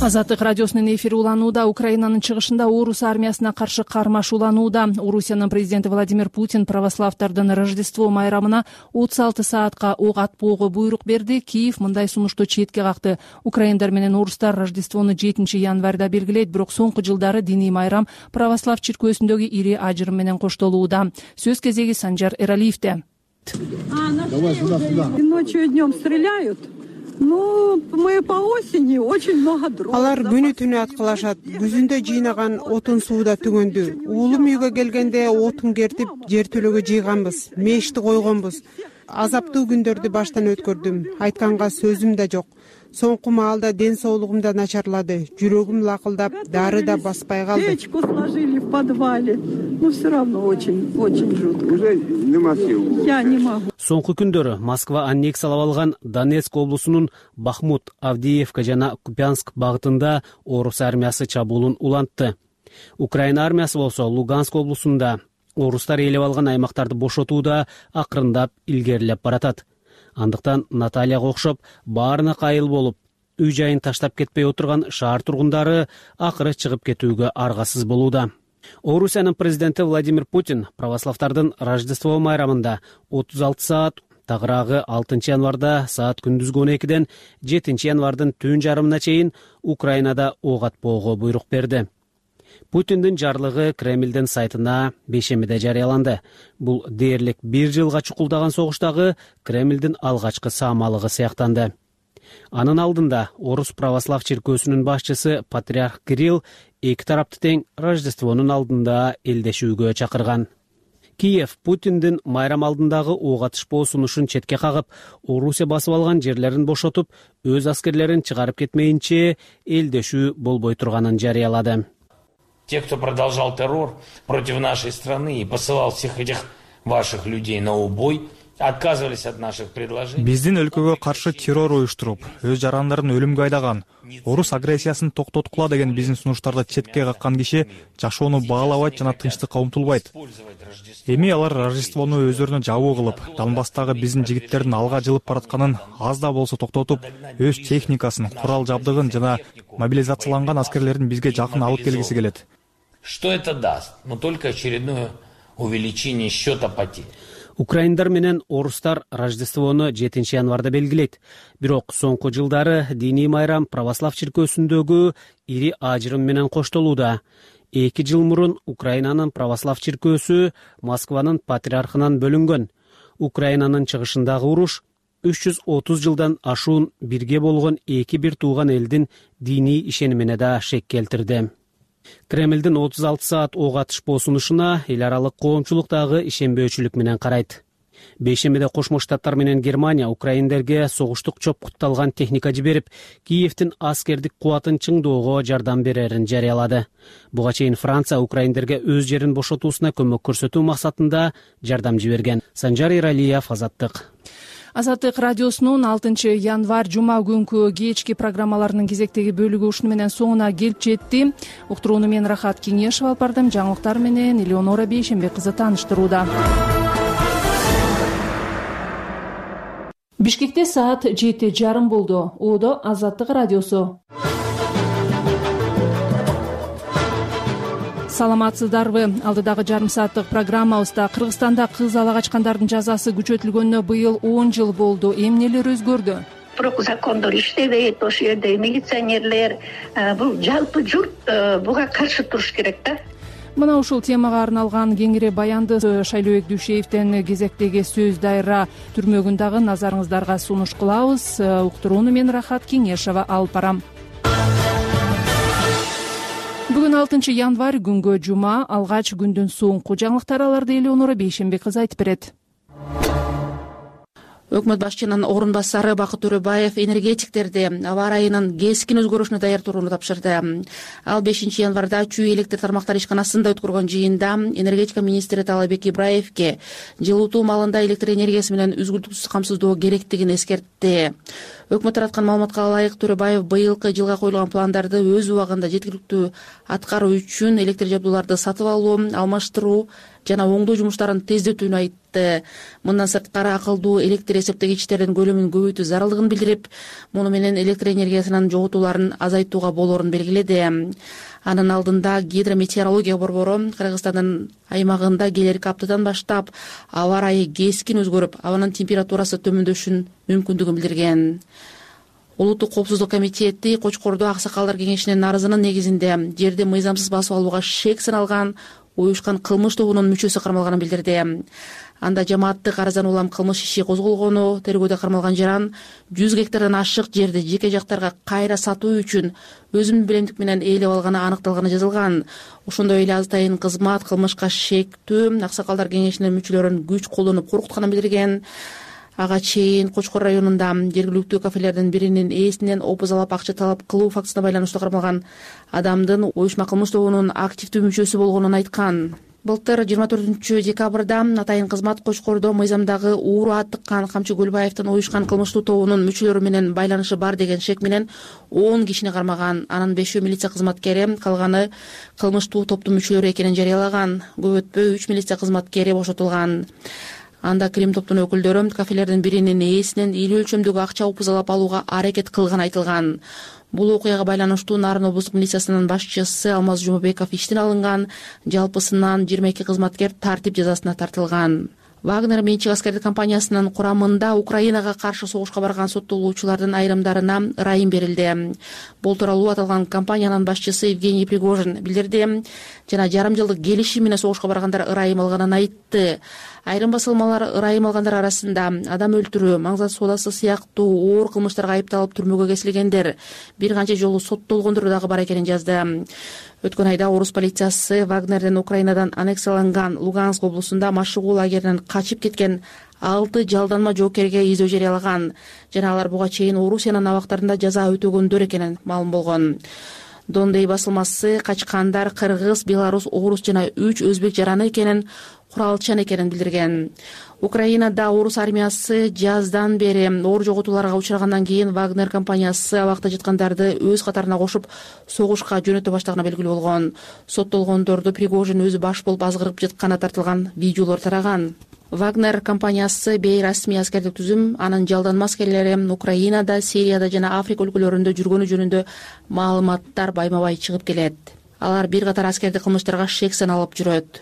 Азаттык радиосунун эфири уланууда. Украинанын чыгышында орус армиясына каршы кармаш уланууда. Орусиянын президенти Владимир Путин православдардын Рождество майрамына отуз алты саатка ок атпоого буйрук берди. Киев мындай сунушту четке какты. Украиндар менен орустар Рождествону жетинчи январда белгилейт, бирок соңку жылдары диний майрам православ чиркөөсүндөгү ири ажырым менен коштолууда. Сөз кезеги Санжар Эралиевде. Ночью и днем стреляют. Ну, мы по осени очень много дров. Алар күнү түнү аткылашат. Күзүндө жыйнаган отун сууда түгөндү. Уулум үйгө келгенде отун кертип, жер төлөгө жыйганбыз, мешти койгонбуз. Азаптуу күндөрдү баштан өткөрдүм. Айтканга сөзүм да жок. Соңку маалда ден соолугум да начарлады. Жүрөгүм лакылдап, дары да баспай калды. Печку сложили в подвале. Ну, все равно очень, очень жутко. Уже нема сил. Я не могу. Соңку күндөрү Москва аннексиялап алган Донецк облусунун Бахмут, Авдеевка жана Купянск багытында орус армиясы чабуулун улантты. Украина армиясы болсо Луганск облусунда орустар ээлеп алган аймактарды бошотууда акырындап илгерилеп баратат. Андыктан Натальяга окшоп баарына кайыл болуп, үй жайын таштап кетпей отурган шаар тургундары акыры чыгып кетүүгө аргасыз болууда. Орусиянын президенти Владимир Путин православдардын Рождество майрамында отуз алты саат, тагыраагы алтынчы январда саат күндүзгү он экиден жетинчи январдын түн жарымына чейин Украинада ок атпоого буйрук берди. Путиндин жарлыгы Кремлдин сайтына бейшембиде жарыяланды. Бул дээрлик бир жылга чукулдаган согуштагы Кремлдин алгачкы саамалыгы сыяктанды. Анын алдында орус православ чиркөөсүнүн башчысы патриарх Кирилл эки тарапты тең Рождествонун алдында элдешүүгө чакырган. Киев Путиндин майрам алдындагы ок атышпоо сунушун четке кагып, Орусия басып алган жерлерин бошотуп, өз аскерлерин чыгарып кетмейинче элдешүү болбой турганын жарыялады. Те, кто продолжал террор против нашей страны и посылал всех этих ваших людей на убой, отказывались от наших предложений. Биздин өлкөгө каршы террор уюштуруп, өз жарандарын өлүмгө айдаган, орус агрессиясын токтоткула деген биздин сунуштарды четке каккан киши жашоону баалабайт жана тынчтыкка умтулбайт. Эми алар Рождествону өздөрүнө жабуу кылып, Донбасстагы биздин жигиттердин алга жылып баратканын аз да болсо токтотуп, өз техникасын, курал жабдыгын жана мобилизацияланган аскерлерин бизге жакын алып келгиси келет. Что это даст? Но только очередное увеличение счета потерь. Украиндар менен орустар Рождествону жетинчи январда белгилейт. Бирок соңку жылдары диний майрам православ чиркөөсүндөгү ири ажырым менен коштолууда. Эки жыл мурун Украинанын православ чиркөөсү Москванын патриархынан бөлүнгөн. Украинанын чыгышындагы уруш үч жүз отуз жылдан ашуун бирге болгон эки бир тууган элдин диний ишенимине да шек келтирди. Кремлдин отуз алты саат ок атышпоо сунушуна эл аралык коомчулук дагы ишенбөөчүлүк менен карайт. бейшембиде Кошмо Штаттар менен Германия украиндерге согуштук чопкутталган техника жиберип, Киевдин аскердик кубатын чыңдоого жардам берерин жарыялады. Буга чейин Франция украиндерге өз жерин бошотуусуна көмөк көрсөтүү максатында жардам жиберген. Санжар Иралиев, Азаттык. Азаттык радиосунун алтынчы январь жума күнкү кечки программаларынын кезектеги бөлүгү ушуну менен соңуна келип жетти. Уктурууну мен Рахат Кеңешева алып бардым. Жаңылыктар менен Элеонора Бейшембек кызы тааныштырууда. Бишкекте саат жети жарым болду. Оодо Азаттык радиосу. Саламатсыздарбы? Алдыдагы жарым сааттык программабызда Кыргызстанда кыз ала качкандардын жазасы күчөтүлгөнүнө быйыл он жыл болду. Эмнелер өзгөрдү? Бирок закондор иштебейт, ошол жерде милиционерлер, бул жалпы журт буга каршы туруш керек да. Мына ушул темага арналган кеңири баянды Шайлообек Дүйшеевден кезектеги сөз дайра түрмөгүн дагы назарыңыздарга сунуш кылабыз. Уктурууну мен Рахат Кеңешева алып барам. Бүгүн алтынчы январь күнгө жума, алгач күндүн соңку жаңылыктары аларды Элеонора Бейшембек кызы айтып берет. Өкмөт башчынын орун басары Бакыт Төрөбаев энергетиктерди аба ырайынын кескин өзгөрүшүнө даяр турууну тапшырды. Ал бешинчи январда Чүй электр тармактары ишканасында өткөргөн жыйында энергетика министри Таалайбек Ибраевке жылытуу маалында электр энергиясы менен үзгүлтүксүз камсыздоо керектигин эскертти. Өкмөт тараткан маалыматка ылайык, Төрөбаев быйылкы жылга коюлган пландарды өз убагында жеткиликтүү аткаруу үчүн электр жабдууларды сатып алуу, алмаштыруу жана оңдоо жумуштарын тездетүүнү айтты. Мындан сырткары акылдуу электр эсептегичтердин көлөмүн көбөйтүү зарылдыгын билдирип, муну менен электр энергиясынын жоготууларын азайтууга болоорун белгиледи. Анын алдында гидрометеорология борбору Кыргызстандын аймагында келерки аптадан баштап аба ырайы кескин өзгөрүп, абанын температурасы төмөндөшүнүн мүмкүндүгүн билдирген. Улуттук коопсуздук комитети Кочкордо аксакалдар кеңешинин арызынын негизинде жерди мыйзамсыз басып алууга шек саналган уюшкан кылмыш тобунун мүчөсү кармалганын билдирди. Анда жамааттык арыздан улам кылмыш иши козголгону, тергөөдө кармалган жаран жүз гектардан ашык жерди жеке жактарга кайра сатуу үчүн өзүнүн билемдик менен ээлеп алганы аныкталганы жазылган. Ошондой эле азатайын кызмат кылмышка шектүү аксакалдар кеңешинин мүчөлөрүн күч колдонуп коркутканын билдирген. Ага чейин Кочкор районунда жергиликтүү кафелердин биринин ээсинен опузалап акча талап кылуу фактысына байланыштуу кармалган адамдын уюшма кылмыш тобунун активдүү мүчөсү болгонун айткан. Былтыр жыйырма төртүнчү декабрда атайын кызмат Кочкордо мыйзамдагы ууру аттыккан Камчы Көлбаевдин уюшкан кылмыштуу тобунун мүчөлөрү менен байланышы бар деген шек менен он кишини кармаган. Анын бешөө милиция кызматкери, калганы кылмыштуу топтун мүчөлөрү экенин жарыялаган. Көп өтпөй үч милиция кызматкери бошотулган. Анда Крим топтун өкүлдөрү кафелердин биринин ээсинен ийгилүү өлчөмдөгү акча опузалап алууга аракет кылганы айтылган. Бул окуяга байланыштуу Нарын облустук милициясынын башчысы Алмаз Жумабеков иштен алынган. Жалпысынан жыйырма эки кызматкер тартип жазасына тартылган. Вагнер менчик аскердик компаниясынын курамында Украинага каршы согушка барган соттолуучулардын айрымдарына ырайым берилди. Бул тууралуу аталган компаниянын башчысы Евгений Пригожин билдирди жана жарым жылдык келишим менен согушка баргандар ырайым алганын айтты. Айрым басылмалар ырайым алгандар арасында адам өлтүрүү, маңзат соодасы сыяктуу оор кылмыштарга айыпталып түрмөгө кесилгендер, бир канча жолу соттолгондор дагы бар экенин жазды. Өткөн айда орус полициясы Вагнерден Украинадан аннексияланган Луганск облусунда машыгуу лагеринен качып кеткен алты жалданма жоокерге издөө жарыялаган жана алар буга чейин Орусиянын абактарында жаза өтөгөндөр экенин маалым болгон. Дондей басылмасы качкандар кыргыз, белорус, орус жана үч өзбек жараны экенин, куралчан экенин билдирген. Украинада орус армиясы жаздан бери оор жоготууларга учрагандан кийин Вагнер компаниясы абакта жаткандарды өз катарына кошуп согушка жөнөтө баштаганы белгилүү болгон. Соттолгондорду Пригожин өзү баш болуп азгырып жатканы тартылган видеолор тараган. Вагнер компаниясы бейрасмий аскердик түзүм, анын жалданма аскерлери Украинада, Сирияда жана Африка өлкөлөрүндө жүргөнү жөнүндө маалыматтар байма-бай чыгып келет. Алар бир катар аскердик кылмыштарга шек саналып жүрөт.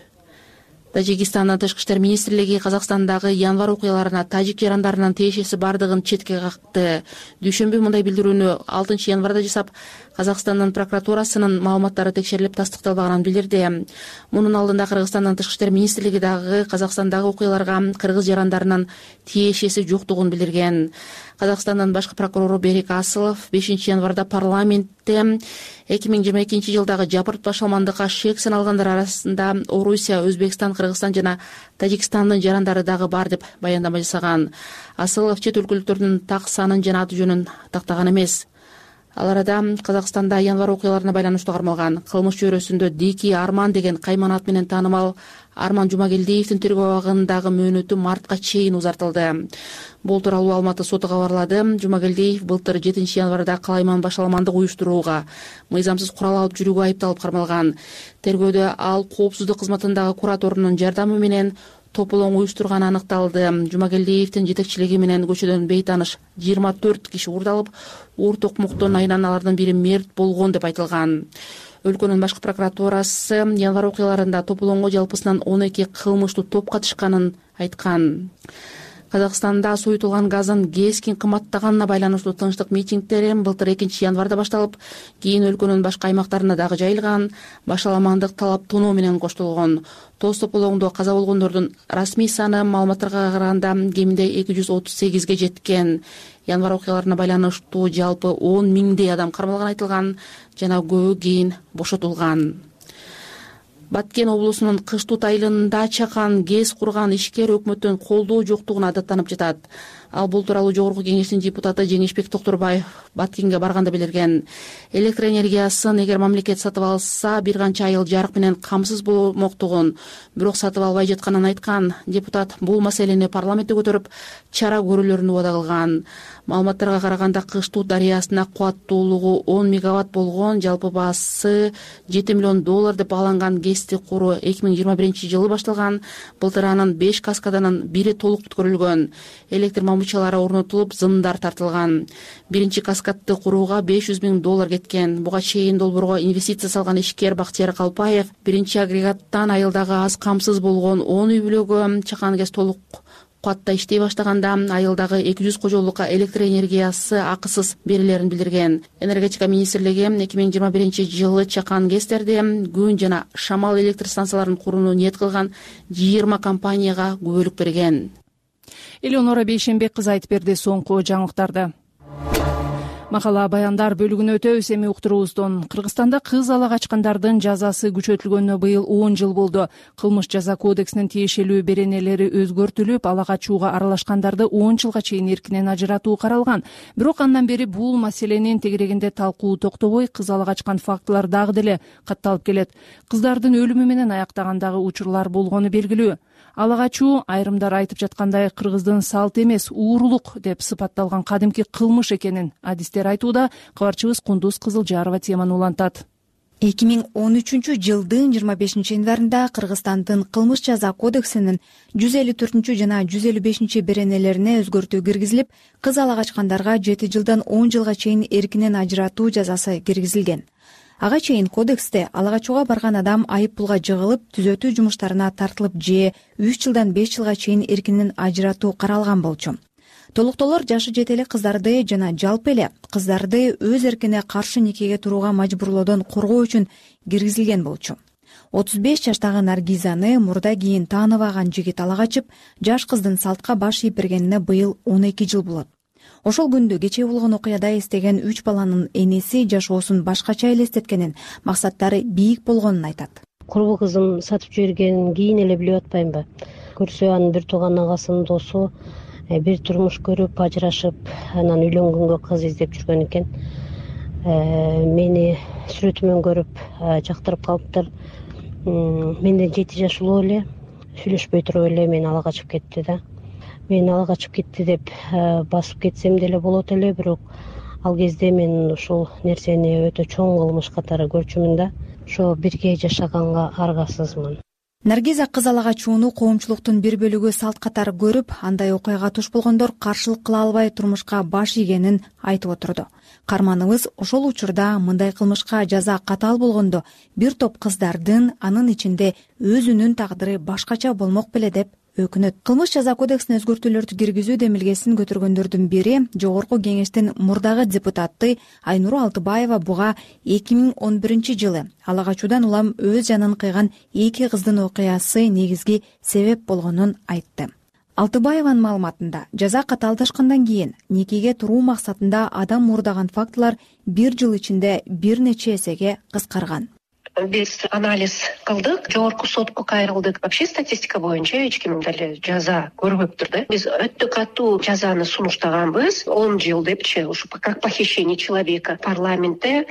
Тажикстандын тышкы иштер министрлиги Казакстандагы январь окуяларына тажик жарандарынын тиешеси бардыгын четке какты. Дүйшөмбү мындай билдирүүнү алтынчы январда жасап, Казакстандын прокуратурасынын маалыматтары текшерилип тастыкталбаганын билдирди. Мунун алдында Кыргызстандын тышкы иштер министрлиги дагы Казакстандагы окуяларга кыргыз жарандарынын тиешеси жоктугун билдирген. Казакстандын башкы прокурору Берик Асылов бешинчи январда парламентте эки миң жыйырма экинчи жылдагы жапырт башаламандыкка шек саналгандар арасында Орусия, Өзбекстан, Кыргызстан жана Тажикстандын жарандары дагы бар деп баяндама жасаган. Асылов чет өлкөлүктөрдүн так санын жана аты жөнүн тактаган эмес. Ал арада Казакстанда январь окуяларына байланыштуу кармалган кылмыш чөйрөсүндө Дикий Арман деген кайман ат менен таанымал Арман Жумагелдиевдин тергөө абагындагы мөөнөтү мартка чейин узартылды. Бул тууралуу Алматы соту кабарлады. Жумагелдиев былтыр жетинчи январда калайман башаламандык уюштурууга, мыйзамсыз курал алып жүрүүгө айыпталып кармалган. Тергөөдө ал коопсуздук кызматындагы кураторунун жардамы менен тополоң уюштурганы аныкталды. Жумагелдиевдин жетекчилиги менен көчөдөн бейтааныш жыйырма төрт киши уурдалып, уур токмоктон айынан алардын бири мерт болгон деп айтылган. Өлкөнүн башкы прокуратурасы январь окуяларында тополоңго жалпысынан он эки кылмыштуу топ катышканын айткан. Казакстанда суютулган газдын кескин кымбаттаганына байланыштуу тынчтык митингдери былтыр экинчи январда башталып, кийин өлкөнүн башка аймактарына дагы жайылган. Башаламандык талаптонуу менен коштолгон. Тоз тополоңдо каза болгондордун расмий саны маалыматтарга караганда кеминде эки жүз отуз сегизге жеткен. Январь окуяларына байланыштуу жалпы он миңдей адам кармалган айтылган жана көбү кийин бошотулган. Баткен облусунун Кыштут айылында чакан гез курган ишкер өкмөттөн колдоо жоктугуна даттанып жатат. Ал бул тууралуу Жогорку Кеңештин депутаты Жеңишбек Токторбаев Баткенге барганда билдирген. Электр энергиясын эгер мамлекет сатып алса, бир канча айыл жарык менен камсыз болмоктугун, бирок сатып албай жатканын айткан. Депутат бул маселени парламентте көтөрүп, чара көрүүлөрүн убада кылган. Маалыматтарга караганда Кыштут дарыясына кубаттуулугу он мегаватт болгон, жалпы баасы жети миллион доллар деп бааланган гезди куруу эки миң жыйырма биринчи жылы башталган. Былтыр анын беш каскаданын бири толук бүткөрүлгөн. Электр мамычалары орнотулуп, зымдар тартылган. Биринчи каскадты курууга беш жүз миң доллар кеткен. Буга чейин долбоорго инвестиция салган ишкер Бактияр Калпаев биринчи агрегаттан айылдагы аз камсыз болгон он үй бүлөгө чакан гез толук кубатта иштей баштаганда айылдагы эки жүз кожолукка электр энергиясы акысыз берилерин билдирген. Энергетика министрлиги эки миң жыйырма биринчи жылы чакан кездерде күн жана шамал электр станцияларын курууну ниет кылган жыйырма компанияга күбөлүк берген. Элеонора Бейшенбек кызы айтып берди соңку жаңылыктарды. Макала баяндар бөлүгүнө өтөбүз. Эми уктуруубуздон. Кыргызстанда кыз ала качкандардын жазасы күчөтүлгөнүнө быйыл он жыл болду. Кылмыш жаза кодексинин тиешелүү беренелери өзгөртүлүп, ала качууга аралашкандарды он жылга чейин эркинен ажыратуу каралган. Бирок андан бери бул маселенин тегерегинде талкуу токтобой, кыз ала качкан фактылар дагы деле катталып келет. Кыздардын өлүмү менен аяктагандагы учурлар болгону белгилүү. Ала качуу айрымдар айтып жаткандай кыргыздын салт эмес, уурулук деп сыпатталган кадимки кылмыш экенин адистер айтууда. Кабарчыбыз Кундуз Кызылжарова теманы улантат. эки миң он үчүнчү жылдын жыйырма бешинчи январында Кыргызстандын кылмыш жаза кодексинин жүз элүү төртүнчү жана жүз элүү бешинчи беренелерине өзгөртүү киргизилип, кыз ала качкандарга жети жылдан он жылга чейин эркинен ажыратуу жазасы киргизилген. Ага чейин кодексте ала качууга барган адам айып пулга жыгылып, түзөтүү жумуштарына тартылып же үч жылдан беш жылга чейин эркинен ажыратуу каралган болчу. Толуктоолор жашы жете эле кыздарды жана жалпы эле кыздарды өз эркине каршы никеге турууга мажбурлоодон коргоо үчүн киргизилген болчу. отуз беш жаштагы Наргизаны мурда кийин тааныбаган жигит ала качып, жаш кыздын салтка баш ийип бергенине быйыл он эки жыл болот. Ошол күндү кечээ болгон окуяда эстеген үч баланын энеси жашоосун башкача элестеткенин, максаттары бийик болгонун айтат. Курбу кызым сатып жибергенин кийин эле билип атпаймынбы? Көрсө анын бир тууган агасынын досу бир турмуш көрүп, ажырашып, анан үйлөнгөнгө кыз издеп жүргөн экен. Мени сүрөтүмөн көрүп жактырып калыптыр. Менден жети жаш улуу эле, сүйлөшпөй туруп эле мени ала качып кетти да. Мен ала качып кетти деп басып кетсем деле болот эле, бирок ал кезде мен ушул нерсени өтө чоң кылмыш катары көрчүмүн да. Ошо бирге жашаганга аргасызмын. Наргиза кыз ала качууну коомчулуктун бир бөлүгү салт катары көрүп, андай окуяга туш болгондор каршылык кыла албай турмушка баш ийгенин айтып отурду. Карманыбыз ошол учурда мындай кылмышка жаза катаал болгондо бир топ кыздардын, анын ичинде өзүнүн тагдыры башкача болмок беле деп өкүнөт. Кылмыш жаза кодексине өзгөртүүлөрдү киргизүү демилгесин көтөргөндөрдүн бири Жогорку Кеңештин мурдагы депутаты Айнура Алтыбаева буга эки миң он биринчи жылы ала качуудан улам өз жанын кыйган эки кыздын окуясы негизги себеп болгонун айтты. Алтыбаеванын маалыматында жаза катаалдашкандан кийин никеге туруу максатында адам мурдаган фактылар бир жыл ичинде бир нече эсеге кыскарган. Биз анализ кылдык, жогорку сотко кайрылдык. Вообще статистика боюнча эч ким деле жаза көрбөптүр да. Биз өтө катуу жазаны сунуштаганбыз. он жыл депчи, ушу как похищение человека. Парламентте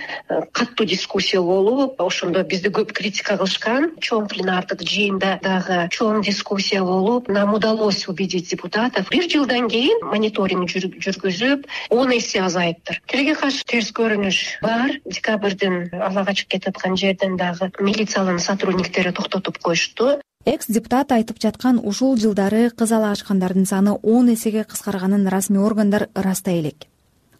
катуу дискуссия болуп, ошондо бизди көп критика кылышкан. Чоң пленардык жыйында дагы чоң дискуссия болуп, нам удалось убедить депутатов. Бир жылдан кийин мониторинг жүргүзүп, он эсе азайыптыр. Тилге каршы терс көрүнүш бар. Декабрдын ала качып кетаткан жерден дагы милициянын сотрудниктери токтотуп коюшту. Экс-депутат айтып жаткан ушул жылдары кыз ала ачкандардын саны он эсеге кыскарганын расмий органдар ырастай элек.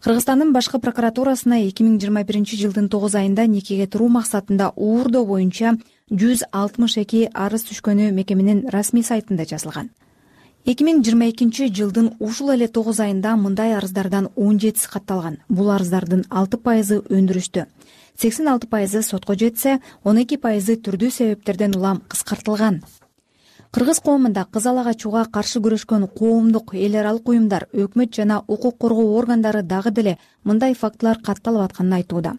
Кыргызстандын башкы прокуратурасына эки миң жыйырма биринчи жылдын тогуз айында никеге туруу максатында уурдоо боюнча жүз алтымыш эки арыз түшкөнү мекеменин расмий сайтында жазылган. эки миң жыйырма экинчи жылдын ушул эле тогуз айында мындай арыздардан он жетиси катталган. Бул арыздардын алты пайызы өндүрүштө, сексен алты пайызы сотко жетсе, он эки пайызы түрдүү себептерден улам кыскартылган. Кыргыз коомунда кыз ала качууга каршы күрөшкөн коомдук эл аралык уюмдар, өкмөт жана укук коргоо органдары дагы деле мындай фактылар катталып атканын айтууда.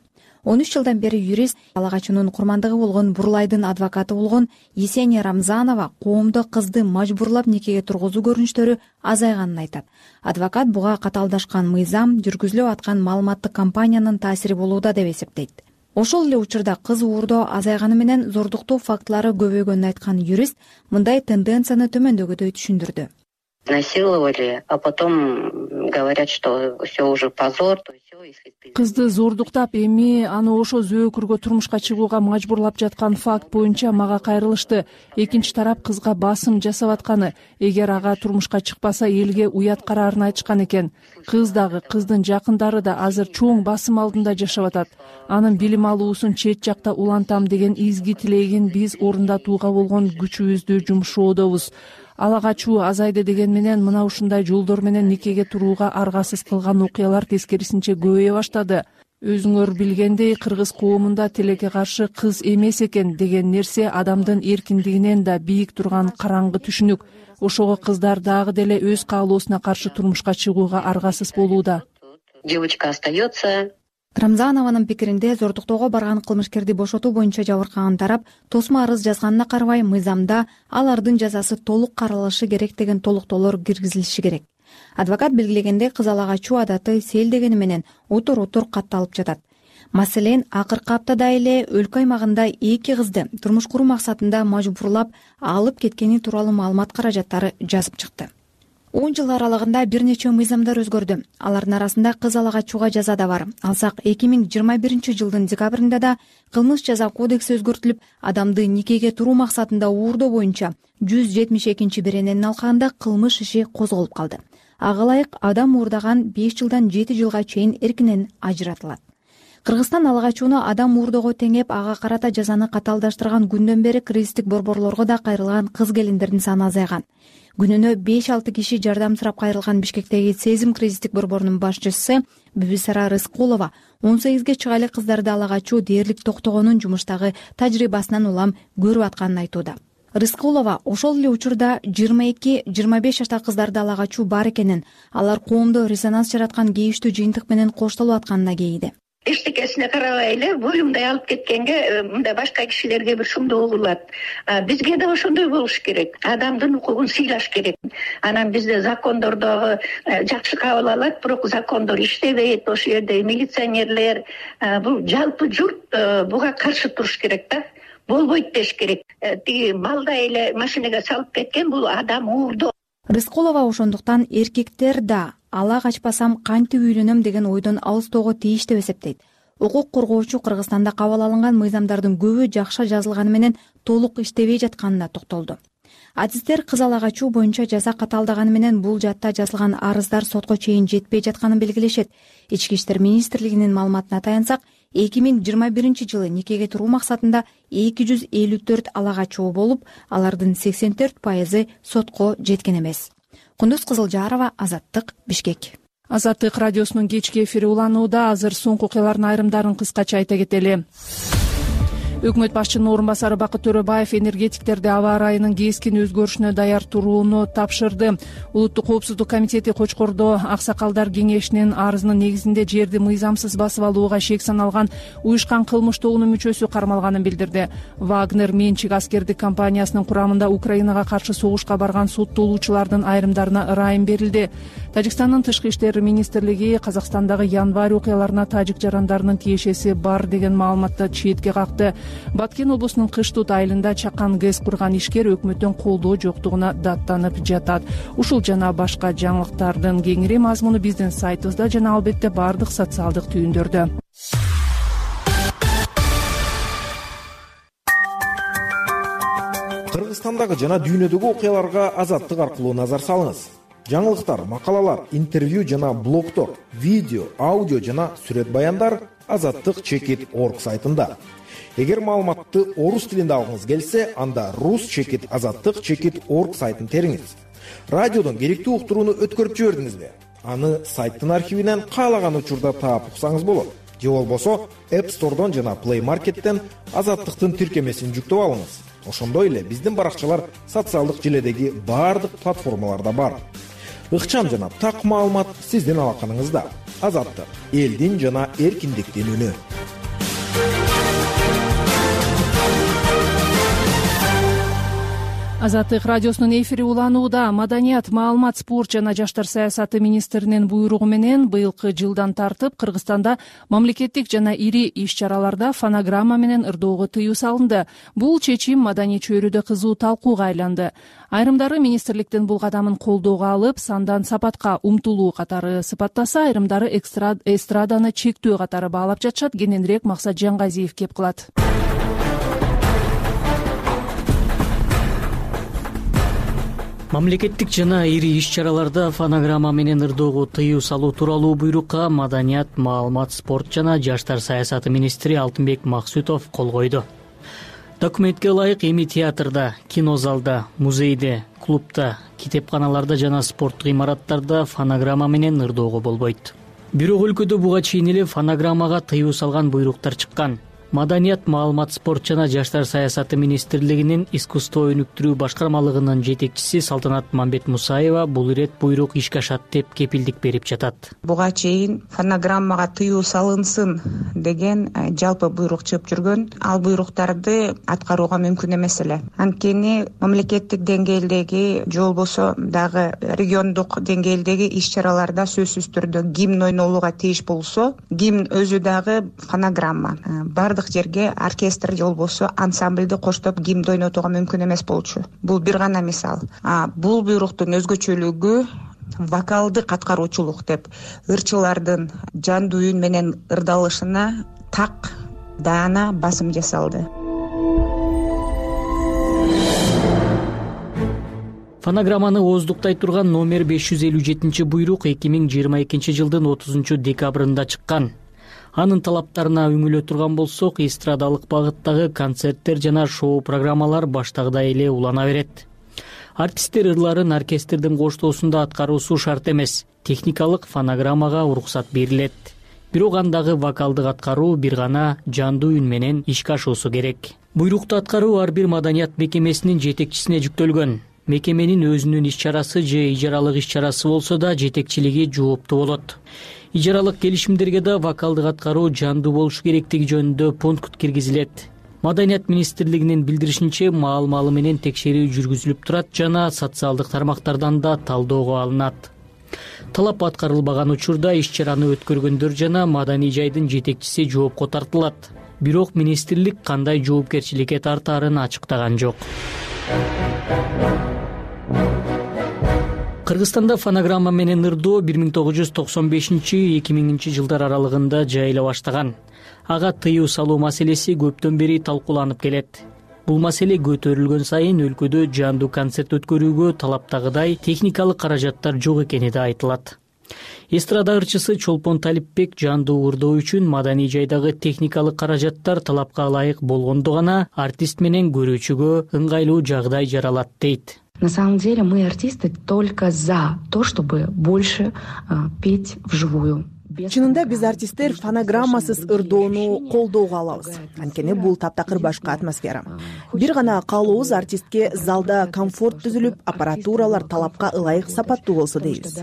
он үч жылдан бери юрист, ала качуунун курмандыгы болгон Бурлайдын адвокаты болгон Есения Рамзанова коомдо кызды мажбурлап никеге тургузуу көрүнүштөрү азайганын айтат. Адвокат буга катаалдашкан мыйзам, жүргүзүлүп аткан маалыматтык кампаниянын таасири болууда деп эсептейт. Ошол эле учурда кыз уурдоо азайганы менен зордуктоо фактылары көбөйгөнүн айткан юрист мындай тенденцияны төмөндөгүдөй түшүндүрдү. Насиловали, а потом говорят, что все уже позор. Кызды зордуктап, эми аны ошо зөөкүргө турмушка чыгууга мажбурлап жаткан факт боюнча мага кайрылышты. Экинчи тарап кызга басым жасап атканы, эгер ага турмушка чыкпаса элге уят караарын айтышкан экен. Кыз дагы, кыздын жакындары да азыр чоң басым алдында жашап атат. Анын билим алуусун чет жакта улантам деген изги тилегин биз орундатууга болгон күчүбүздү жумшоодобуз. Ала качуу азайды деген менен мына ушундай жолдор менен никеге турууга аргасыз кылган окуялар тескерисинче көбөйө баштады. Өзүңөр билгендей, кыргыз коомунда тилекке каршы кыз эмес экен деген нерсе адамдын эркиндигинен да бийик турган караңгы түшүнүк. Ошого кыздар дагы деле өз каалоосуна каршы турмушка чыгууга аргасыз болууда. Девочка остается. Рамзанованын пикиринде, зордуктоого барган кылмышкерди бошотуу боюнча жабыркаган тарап тосмо арыз жазганына карабай, мыйзамда алардын жазасы толук каралышы керек деген толуктоолор киргизилиши керек. Адвокат белгилегендей, кыз ала качуу адаты сел дегени менен утур-утур катталып жатат. Маселен, акыркы аптада эле өлкө аймагында эки кызды турмуш куруу максатында мажбурлап алып кеткени тууралуу маалымат каражаттары жазып чыкты. он жыл аралыгында бир нече мыйзамдар өзгөрдү. Алардын арасында кыз ала качууга жаза да бар. Алсак, эки миң жыйырма биринчи жылдын декабрында да кылмыш жаза кодекси өзгөртүлүп, адамды никеге туруу максатында уурдоо боюнча жүз жетимиш экинчи берененин алкагында кылмыш иши козголуп калды. Ага ылайык адам уурдаган беш жылдан жети жылга чейин эркинен ажыратылат. Кыргызстан ала качууну адам уурдоого теңеп, ага карата жазаны катаалдаштырган күндөн бери кризистик борборлорго да кайрылган кыз келиндердин саны азайган. Күнүнө беш алты киши жардам сурап кайрылган Бишкектеги Сезим кризистик борборунун башчысы Бибисара Рыскулова он сегизге чыга элек кыздарды ала качуу дээрлик токтогонун жумуштагы тажрыйбасынан улам көрүп атканын айтууда. Рыскулова ошол эле учурда жыйырма эки жыйырма беш жаштагы кыздарды ала качуу бар экенин, алар коомдо резонанс жараткан кейиштүү жыйынтык менен коштолуп атканына кейиди. Эчтекесине карабай эле буюмдай алып кеткенге мындай башка кишилерге бир шумдуу угулат. Бизге да ошондой болуш керек. Адамдын укугун сыйлаш керек. Анан бизде закондордогу жакшы кабыл алат, бирок закондор иштебейт. Ошол жерде милиционерлер, бул жалпы журт буга каршы туруш керек да. Болбойт деш керек. Тиги балдай эле машинеге салып кеткен бул адам уурдоо. Рыскулова ошондуктан эркектер да ала качпасам кантип үйлөнөм деген ойдон алыстоого тийиш деп эсептейт. Укук коргоочу Кыргызстанда кабыл алынган мыйзамдардын көбү жакшы жазылганы менен толук иштебей жатканына токтолду. Адистер кыз ала качуу боюнча жаза катаалдаганы менен бул жатта жазылган арыздар сотко чейин жетпей жатканын белгилешет. Ички иштер министрлигинин маалыматына таянсак, эки миң жыйырма биринчи жылы никеге туруу максатында эки жүз элүү төрт ала качуу болуп, алардын сексен төрт пайызы сотко жеткен эмес. Кундуз Кызылжарова, Азаттык, Бишкек. Азаттык радиосунун кечки эфири уланууда. Азыр соңку окуялардын айрымдарын кыскача айта кетели. Өкмөт башчынын орун басары Бакыт Төрөбаев энергетиктерди аба ырайынын кескин өзгөрүшүнө даяр турууну тапшырды. Улуттук коопсуздук комитети Кочкордо аксакалдар кеңешинин арызынын негизинде жерди мыйзамсыз басып алууга шек саналган уюшкан кылмыш тобунун мүчөсү кармалганын билдирди. Вагнер менчик аскердик компаниясынын курамында Украинага каршы согушка барган соттолуучулардын айрымдарына ырайым берилди. Тажикстандын тышкы иштер министрлиги Казакстандагы январь окуяларына тажик жарандарынын тиешеси бар деген маалыматты четке какты. Баткен облусунун Кыштут айылында чакан ГЭС курган ишкер өкмөттөн колдоо жоктугуна даттанып жатат. Ушул жана башка жаңылыктардын кеңири мазмуну биздин сайтыбызда жана албетте бардык социалдык түйүндөрдө. Кыргызстандагы жана дүйнөдөгү окуяларга Азаттык аркылуу назар салыңыз. Жаңылыктар, макалалар, интервью жана блогдор, видео, аудио жана сүрөт баяндар азаттык чекит точка орг сайтында. Эгер маалыматты орус тилинде алгыңыз келсе, анда рус чекит азаттык чекит точка орг сайтын териңиз. Радиодон керектүү уктурууну өткөрүп жибердиңизби? Аны сайттын архивинен каалаган учурда таап уксаңыз болот. Же болбосо App Store'дон жана Play Market'тен азаттыктын тиркемесин жүктөп алыңыз. Ошондой эле биздин баракчалар социалдык желедеги бардык платформаларда бар. Ыкчам жана так маалымат сиздин алаканыңызда. Азаттык — элдин жана эркиндиктин үнү. Азаттык радиосунун эфири уланууда. Маданият, маалымат, спорт жана жаштар саясаты министринин буйругу менен быйылкы жылдан тартып Кыргызстанда мамлекеттик жана ири иш-чараларда фонограмма менен ырдоого тыюу салынды. Бул чечим маданий чөйрөдө кызуу талкууга айланды. Айрымдары министрликтин бул кадамын колдоого алып, сандан сапатка умтулуу катары сыпаттаса, айрымдары эстраданы чектөө катары баалап жатышат. Кененирээк Максат Жангазиев кеп кылат. Мамлекеттик жана ири иш-чараларда фонограмма менен ырдоого тыюу салуу тууралуу буйрукка Маданият, маалымат, спорт жана жаштар саясаты министри Алтынбек Максутов кол койду. Документке ылайык эми театрда, кинозалда, музейде, клубда, китепканаларда жана спорттук имараттарда фонограмма менен ырдоого болбойт. Бирок өлкөдө буга чейин эле фонограммага тыюу салган буйруктар чыккан. Маданият, маалымат, спорт жана жаштар саясаты министрлигинин искусство өнүктүрүү башкармалыгынын жетекчиси Салтанат Мамбетмусаева бул ирет буйрук ишке ашат деп кепилдик берип жатат. Буга чейин фонограммага тыюу салынсын деген жалпы буйрук чыгып жүргөн. Ал буйруктарды аткарууга мүмкүн эмес эле. Анткени мамлекеттик деңгээлдеги же болбосо дагы региондук деңгээлдеги иш-чараларда сөзсүз түрдө гимн ойнолууга тийиш болсо, гимн өзү дагы фонограмма. Бардык жерге оркестр же болбосо ансамбльди коштоп гимн ойнотууга мүмкүн эмес болчу. Бул бир гана мисал. А бул буйруктун өзгөчөлүгү вокалдык аткаруучулук деп ырчылардын жандуу үн менен ырдалышына так даана басым жасалды. Фонограмманы ооздуктай турган номер беш жүз элүү жетинчи буйрук эки миң жыйырма экинчи жылдын отузунчу декабрында чыккан. Анын талаптарына үңүлө турган болсок, эстрадалык багыттагы концерттер жана шоу программалар баштагыдай эле улана берет. Артисттер ырларын оркестрдин коштоосунда аткаруусу шарт эмес. Техникалык фонограммага уруксат берилет. Бирок андагы вокалдык аткаруу бир гана жандуу үн менен ишке ашуусу керек. Буйрукту аткаруу ар бир маданият мекемесинин жетекчисине жүктөлгөн. Мекеменин өзүнүн иш-чарасы же ижаралык иш-чарасы болсо да жетекчилиги жооптуу болот. Ижаралык келишимдерге да вокалдык аткаруу жандуу болушу керектиги жөнүндө пункт киргизилет. Маданият министрлигинин билдиришинче, маал-маалы менен текшерүү жүргүзүлүп турат жана социалдык тармактардан да талоого алынат. Талап аткарылбаган учурда иш-чараны өткөргөндөр жана маданий жайдын жетекчиси жоопко тартылат. Бирок министрлик кандай жоопкерчиликке тартаарын ачыктаган жок. Кыргызстанда фонограмма менен ырдоо бир миң тогуз жүз токсон бешинчи — эки миңинчи жылдар аралыгында жайыла баштаган. Ага тыюу салуу маселеси көптөн бери талкууланып келет. Бул маселе көтөрүлгөн сайын өлкөдө жандуу концерт өткөрүүгө талаптагыдай техникалык каражаттар жок экени да айтылат. Эстрада ырчысы Чолпон Талипбек жандуу ырдоо үчүн маданий жайдагы техникалык каражаттар талапка ылайык болгондо гана артист менен көрүүчүгө ыңгайлуу жагдай жаралат дейт. На самом деле мы, артисты, только за то, чтобы больше а, петь вживую. чынында биз артисттер фонограммасыз ырдоону колдоого алабыз, анткени бул таптакыр башка атмосфера. Бир гана каалообуз артистке залда комфорт түзүлүп, аппаратуралар талапка ылайык сапаттуу болсо дейбиз.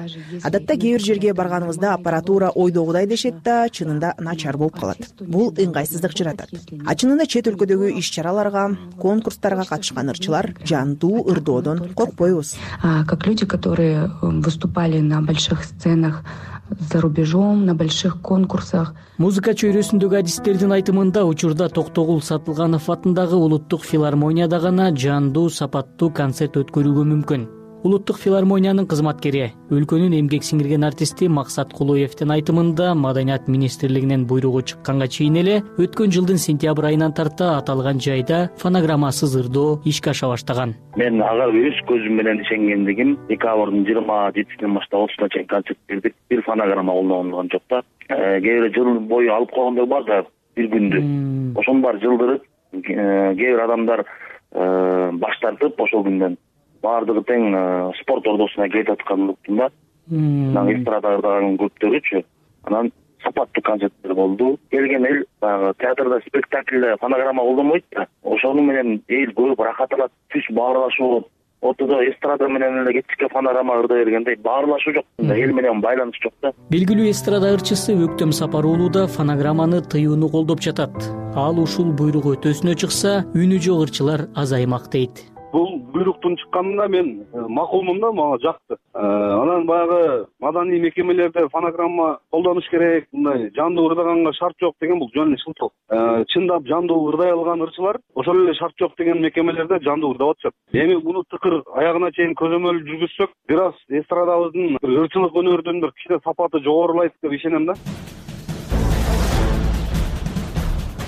Адатта кээ бир жерге барганыбызда аппаратура ойдогудай дешет да, чынында начар болуп калат. Бул ыңгайсыздык жаратат. А чынында чет өлкөдөгү иш-чараларга, конкурстарга катышкан ырчылар жандуу ырдоодон коркпойбуз. Как люди, которые выступали на больших сценах за рубежом, на больших конкурсах. Музыка чөйрөсүндөгү адистердин айтымында учурда Токтогул Сатылганов атындагы Улуттук филармонияда гана жандуу сапаттуу концерт өткөрүүгө мүмкүн. Улуттук филармониянын кызматкери, өлкөнүн эмгек сиңирген артисти Максат Кулуевдин айтымында Маданият министрлигинин буйругу чыкканга чейин эле өткөн жылдын сентябрь айынан тарта аталган жайда фонограммасыз ырдоо ишке аша баштаган. Мен ага өз көзүм менен ишенгендигим декабрдын жыйырма жетисинен баштап отузуна чейин концерт бердик. Бир фонограмма колдонгон жок да. Кээ бир жыл бою алып койгондор бар да, бир күндү. Ошонун баары жылдырып, кээ бир адамдар баш тартып ошол күндөн баардыгы тең спорт ордосуна келип атканын уктум да. Анан эстрада ырдаган көптөрүчү. Анан сапаттуу концерттер болду. Келген эл баягы театрда спектакльде фонограмма колдонбойт да. Ошону менен эл көрүп рахат алат, түш баарлашуу болот. Ортодо эстрада менен эле кечке фонограмма ырдай бергенде баарлашуу жок, эл менен байланыш жок да. Белгилүү эстрада ырчысы Өктөм Сапар уулу да фонограмманы тыюуну колдоп жатат. Ал ушул буйрук өтөсүнө чыкса, үнү жок ырчылар азаймак дейт. Бул буйруктун чыкканына мен макулмун да, мага жакты. Анан баягы маданий мекемелерде фонограмма колдонуш керек, мындай жандуу ырдаганга шарт жок деген бул жөн эле шылтоо. Чындап жандуу ырдай алган ырчылар ошол эле шарт жок деген мекемелерде жандуу ырдап атышат. Эми муну тыкыр аягына чейин көзөмөл жүргүзсөк, бир аз эстрадабыздын ырчылык өнөрдүн бир кичине сапаты жогорулайт деп ишенем да.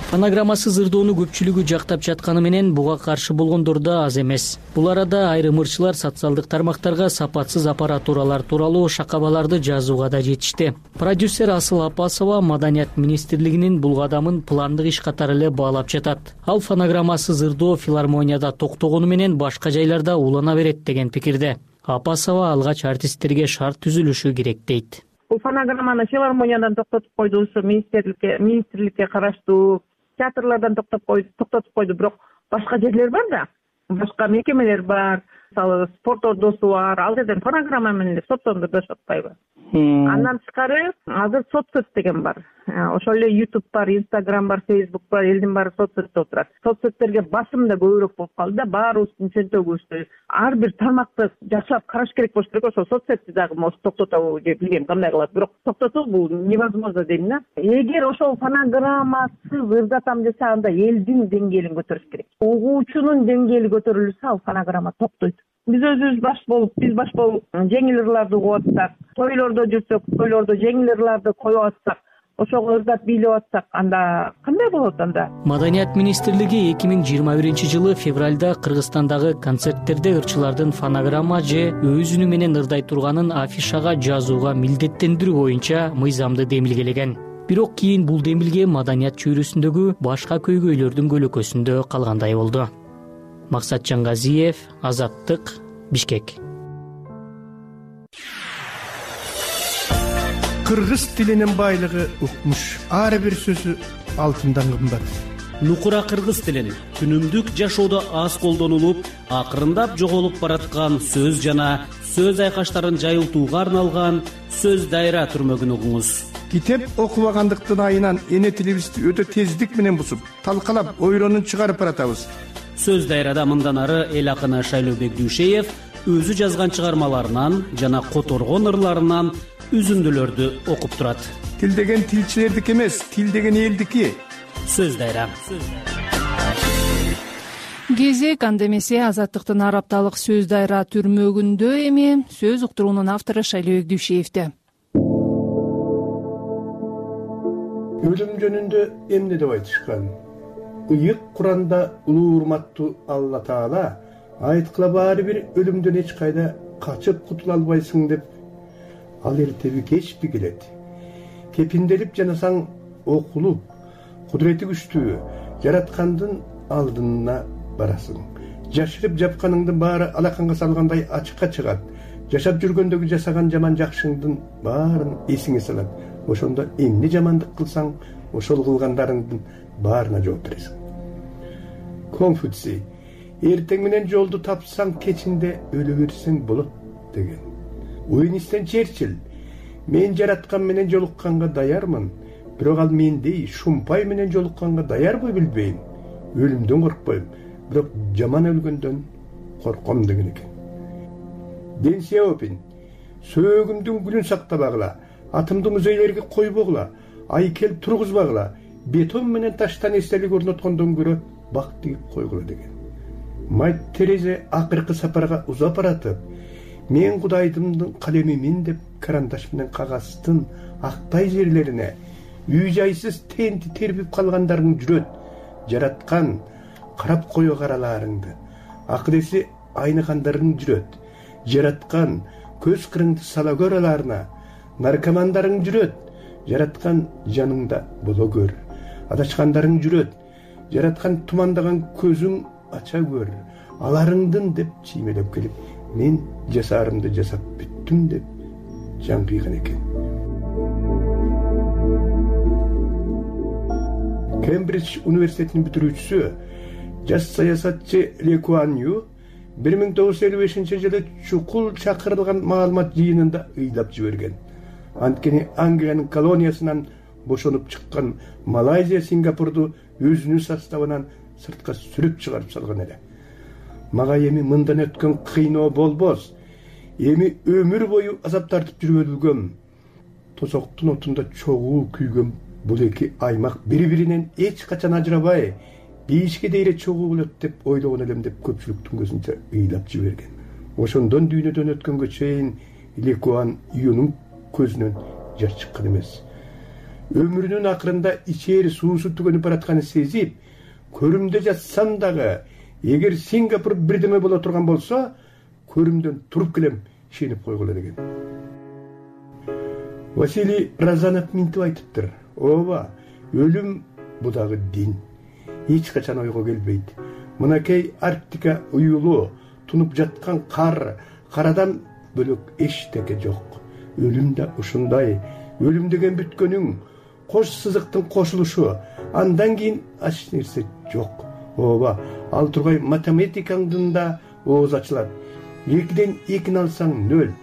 Фонограммасыз ырдоону көпчүлүгү жактап жатканы менен буга каршы болгондор да аз эмес. Бул арада айрым ырчылар социалдык тармактарга сапатсыз аппаратуралар тууралуу шакабаларды жазууга да жетишти. Продюсер Асыл Апасова Маданият министрлигинин бул кадамын пландык иш катары эле баалап жатат. Ал фонограммасыз ырдоо филармонияда токтогону менен башка жайларда улана берет деген пикирде. Апасова алгач артисттерге шарт түзүлүшү керек дейт. Бул фонограмманы филармониядан токтотуп койду, министрликке министрликке караштуу театрлардан токтоп койду, токтотуп койду, бирок башка жерлер бар да, башка мекемелер бар, мисалы спорт ордосу бар, ал жерден фонограмма менен деп соттондурушуп атпайбы? Андан тышкары азыр соцсөт деген бар. Ошол эле YouTube бар, Instagram бар, Facebook бар, элдин баары соцсөттө отурат. Соцсөттөргө басым да көбүрөөк болуп калды да, баарыбыздын чөнтөгүбүздө ар бир тармакты жакшылап караш керек болуш керек. Ошол соцсетти дагы может токтотобу же билбейм кандай кылат, бирок токтотуу бул невозможно дейм да. Эгер ошол фонограммасыз ырдатам десе, анда элдин деңгээлин көтөрүш керек. Угуучунун деңгээли көтөрүлсө, ал фонограмма токтойт. Биз өзүбүз баш болуп, биз баш болуп жеңил ырларды угуп атсак, тойлордо жүрсөк, тойлордо жеңил ырларды коюп атсак, ошого ырдап бийлеп атсак, анда кандай болот анда? Маданият министрлиги эки миң жыйырма биринчи жылы февралда Кыргызстандагы концерттерде ырчылардын фонограмма же өз үнү менен ырдай турганын афишага жазууга милдеттендирүү боюнча мыйзамды демилгелеген. Бирок кийин бул демилге маданият чөйрөсүндөгү башка көйгөйлөрдүн көлөкөсүндө калгандай болду. Максат Жаңгазиев, Азаттык, Бишкек. Кыргыз тилинин байлыгы укмуш. Ар бир сөзү алтындан кымбат. Нукура кыргыз тилин күнүмдүк жашоодо аз колдонулуп, акырындап жоголуп бараткан сөз жана сөз айкаштарын жайылтууга арналган сөз дайра түрмөгүн угуңуз. Китеп окубагандыктын айынан эне тилибизди өтө тездик менен бусуп, талкалап, ойронун чыгарып баратабыз. Сөз дайрада мындан ары эл акыны Шайлообек Дүйшеев өзү жазган чыгармаларынан жана которгон ырларынан үзүндүлөрдү окуп турат. Тил деген тилчилердики эмес, тил деген элдики. Сөз дайра. Кезек анда эмесе Азаттыктын арапталык сөз дайра түрмөгүндө эми сөз уктуруунун автору Шайлообек Дүйшеевде. Өлүм жөнүндө эмне деп айтышкан? Ыйык Куранда улуу урматтуу Алла Таала айткыла баары бир өлүмдөн эч кайда качып кутула албайсың деп, ал эртеби кечпи келет. Кепинделип жанасаң окулуп, кудурети күчтүү жараткандын алдына барасың. Жашырып жапканыңдын баары алаканга салгандай ачыкка чыгат. Жашап жүргөндөгү жасаган жаман жакшыңдын баарын эсиңе салат. ошондо эмне жамандык кылсаң ошол кылгандарыңдын баарына жооп бересиң. Конфуций эртең менен жолду тапсаң кечинде өлө берсең болот деген. Уинстон Черчилль мен жараткан менен жолукканга даярмын, бирок ал мендей шумпай менен жолукканга даярбы билбейм. Өлүмдөн коркпойм, бирок жаман өлгөндөн корком деген экен. Дэн Сяопин сөөгүмдүн гүлүн сактабагыла, атымды музейлерге койбогула, айкел тургузбагыла, бетон менен таштан эстелик орноткондон көрө бак тигип койгула деген. Мать Терезе акыркы сапарга узап баратып, мен Кудайдымдын калемимин деп карандаш менен кагаздын актай жерлерине үй жайсыз тенти тербип калгандарың жүрөт, жараткан карап кое караларыңды, акыреси айныгандарың жүрөт, жараткан көз кырыңды сала көраларына, наркомандарың жүрөт, жараткан жаныңда боло көр, адашкандарың жүрөт, жараткан тумандаган көзүң ача көр, аларыңдын деп чиймелеп келип, мен жасаарымды жасап бүттүм деп жан кыйган экен. Кембридж университетинин бүтүрүүчүсү, жаш саясатчы Ли Куан Ю бир миң тогуз жүз элүү бешинчи жылы чукул чакырылган маалымат жыйынында ыйлап жиберген. Анткени Англиянын колониясынан бошонуп чыккан Малайзия Сингапурду өзүнүн составынан сыртка сүрүп чыгарып салган эле. Мага эми мындан өткөн кыйноо болбос, эми өмүр бою азап тартып жүрүп өлгөм. Тосоктун отунда чогуу күйгөн бул эки аймак бири-биринен эч качан ажырабай, бейишке дейре чогуу болот деп ойлогон элем деп көпчүлүктүн көзүнчө ыйлап жиберген. Ошондон дүйнөдөн өткөнгө чейин Ли Куан Юнун көзүнөн жаш чыккан эмес. Өмүрүнүн акырында ичери суусу түгөнүп баратканын сезип, көрүмдө жатсам дагы, эгер Сингапур бирдеме боло турган болсо, көрүмдөн туруп келем, ишенип койгула деген. Василий Разанов минтип айтыптыр. Ооба, өлүм бу дагы дин. Эч качан ойго келбейт. Мынакей Арктика уюлу, тунуп жаткан кар, карадан бөлөк эчтеке жок. Өлүм да ушундай. Өлүм деген бүткөнүң, кош сызыктын кошулушу, андан кийин ач нерсе жок. Ооба, ал тургай математикаңдын да ооз ачылат. Экиден экини алсаң нөл.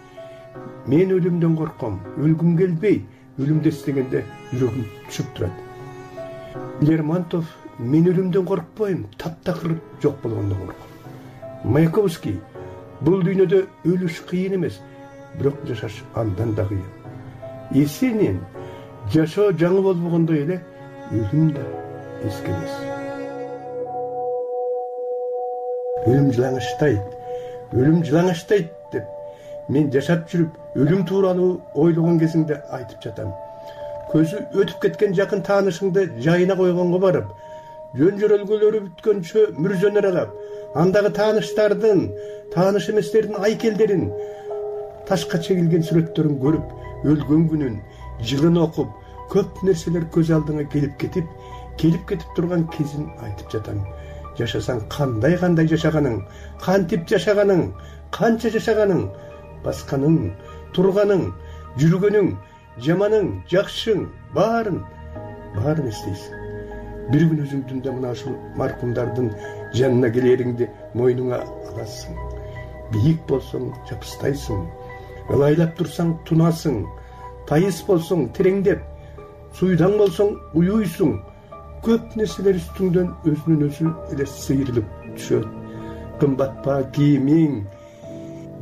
Мен өлүмдөн корком, өлгүм келбейт. Өлүмдү эстегенде жүрөгүм түшүп турат. Лермонтов мен өлүмдөн коркпойм, таптакыр жок болгондон корком. Маяковский бул дүйнөдө өлүш кыйын эмес, бирок жашаш андан да кыйын. Есенин жашоо жаңы болбогондой эле өлүм да эски эмес. Өлүм жылаңачтайт, өлүм жылаңачтайт деп мен жашап жүрүп өлүм тууралуу ойлогон кезиңде айтып жатам. Көзү өтүп кеткен жакын таанышыңды жайына койгонго барып, жөн жөрөлгөлөрү бүткөнчө мүрзөнө аралап, андагы тааныштардын, тааныш эместердин айкелдерин, ташка чегилген сүрөттөрүн көрүп, өлгөн күнүн, жылын окуп, көп нерселер көз алдыңа келип кетип, келип кетип турган кезин айтып жатам. Жашасаң кандай-кандай жашаганың, кантип жашаганың, канча жашаганың, басканың, турганың, жүргөнүң, жаманың, жакшың, баарын, баарын эстейсиң. Бир күн өзүңдүн да мына ушул маркумдардын жанына келериңди мойнуңа аласың. Бийик болсоң жапыстайсың, ылайлап турсаң тунасың, тайыс болсоң тереңдеп, суйдаң болсоң уюйсуң. Көп нерселер үстүңдөн өзүнүн өзү эле сыйрылып түшөт. Кымбат па кийимиң,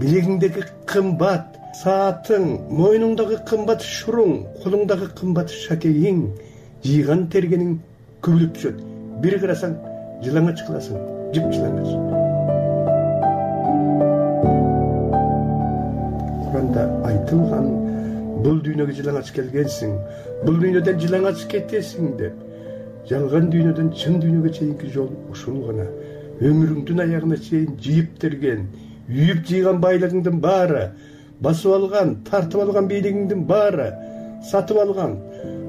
билегиңдеги кымбат саатың, мойнуңдагы кымбат шуруң, колуңдагы кымбат шакегиң, жыйган тергениң көбүлүп түшөт. Бир карасаң жылаңач кыласың, жып жылаңач. Куранда айтылган, бул дүйнөгө жылаңач келгенсиң, бул дүйнөдөн жылаңач кетесиң деп. Жалган дүйнөдөн чын дүйнөгө чейинки жол ушул гана. Өмүрүңдүн аягына чейин жыйып терген, үйүп жыйган байлыгыңдын баары, басып алган, тартып алган бийлигиңдин баары, сатып алган,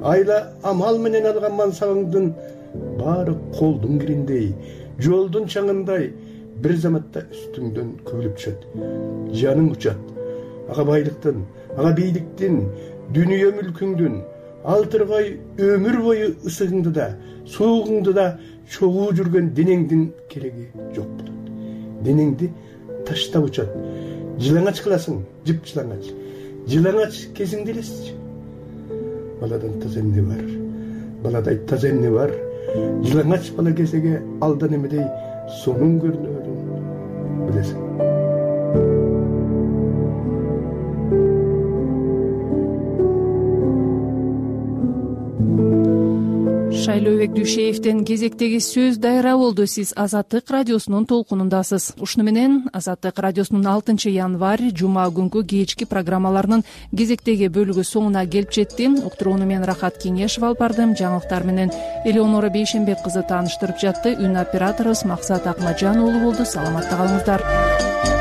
айла амал менен алган мансабыңдын баары колдун кириндей, жолдун чаңындай бир заматта үстүңдөн көбүлүп түшөт. Жаның учат. Ага байлыктын, ага бийликтин, дүнүйө мүлкүңдүн, алтыргай өмүр бою ысыгыңды да суугуңду да чогуу жүргөн денеңдин кереги жок болот. Денеңди таштап учат. Жылаңач кыласың, жып жылаңач. Жылаңач кезиңди элестичи. Баладан таза эмне бар? Баладай таза эмне бар? Жылаңач бала кезеге алдан эмедей сонун көрүнөрүн билесиң. Шайлообек Дүйшеевден кезектеги сөз дайра болду. Сиз Азаттык радиосунун толкунундасыз. Ушуну менен Азаттык радиосунун алтынчы январь жума күнкү кечки программаларынын кезектеги бөлүгү соңуна келип жетти. Уктурууну мен Рахат Кеңешева алып бардым. Жаңылыктар менен Элеонора Бейшенбек кызы тааныштырып жатты. Үн операторубуз Максат Акмажан уулу болду. Саламатта калыңыздар.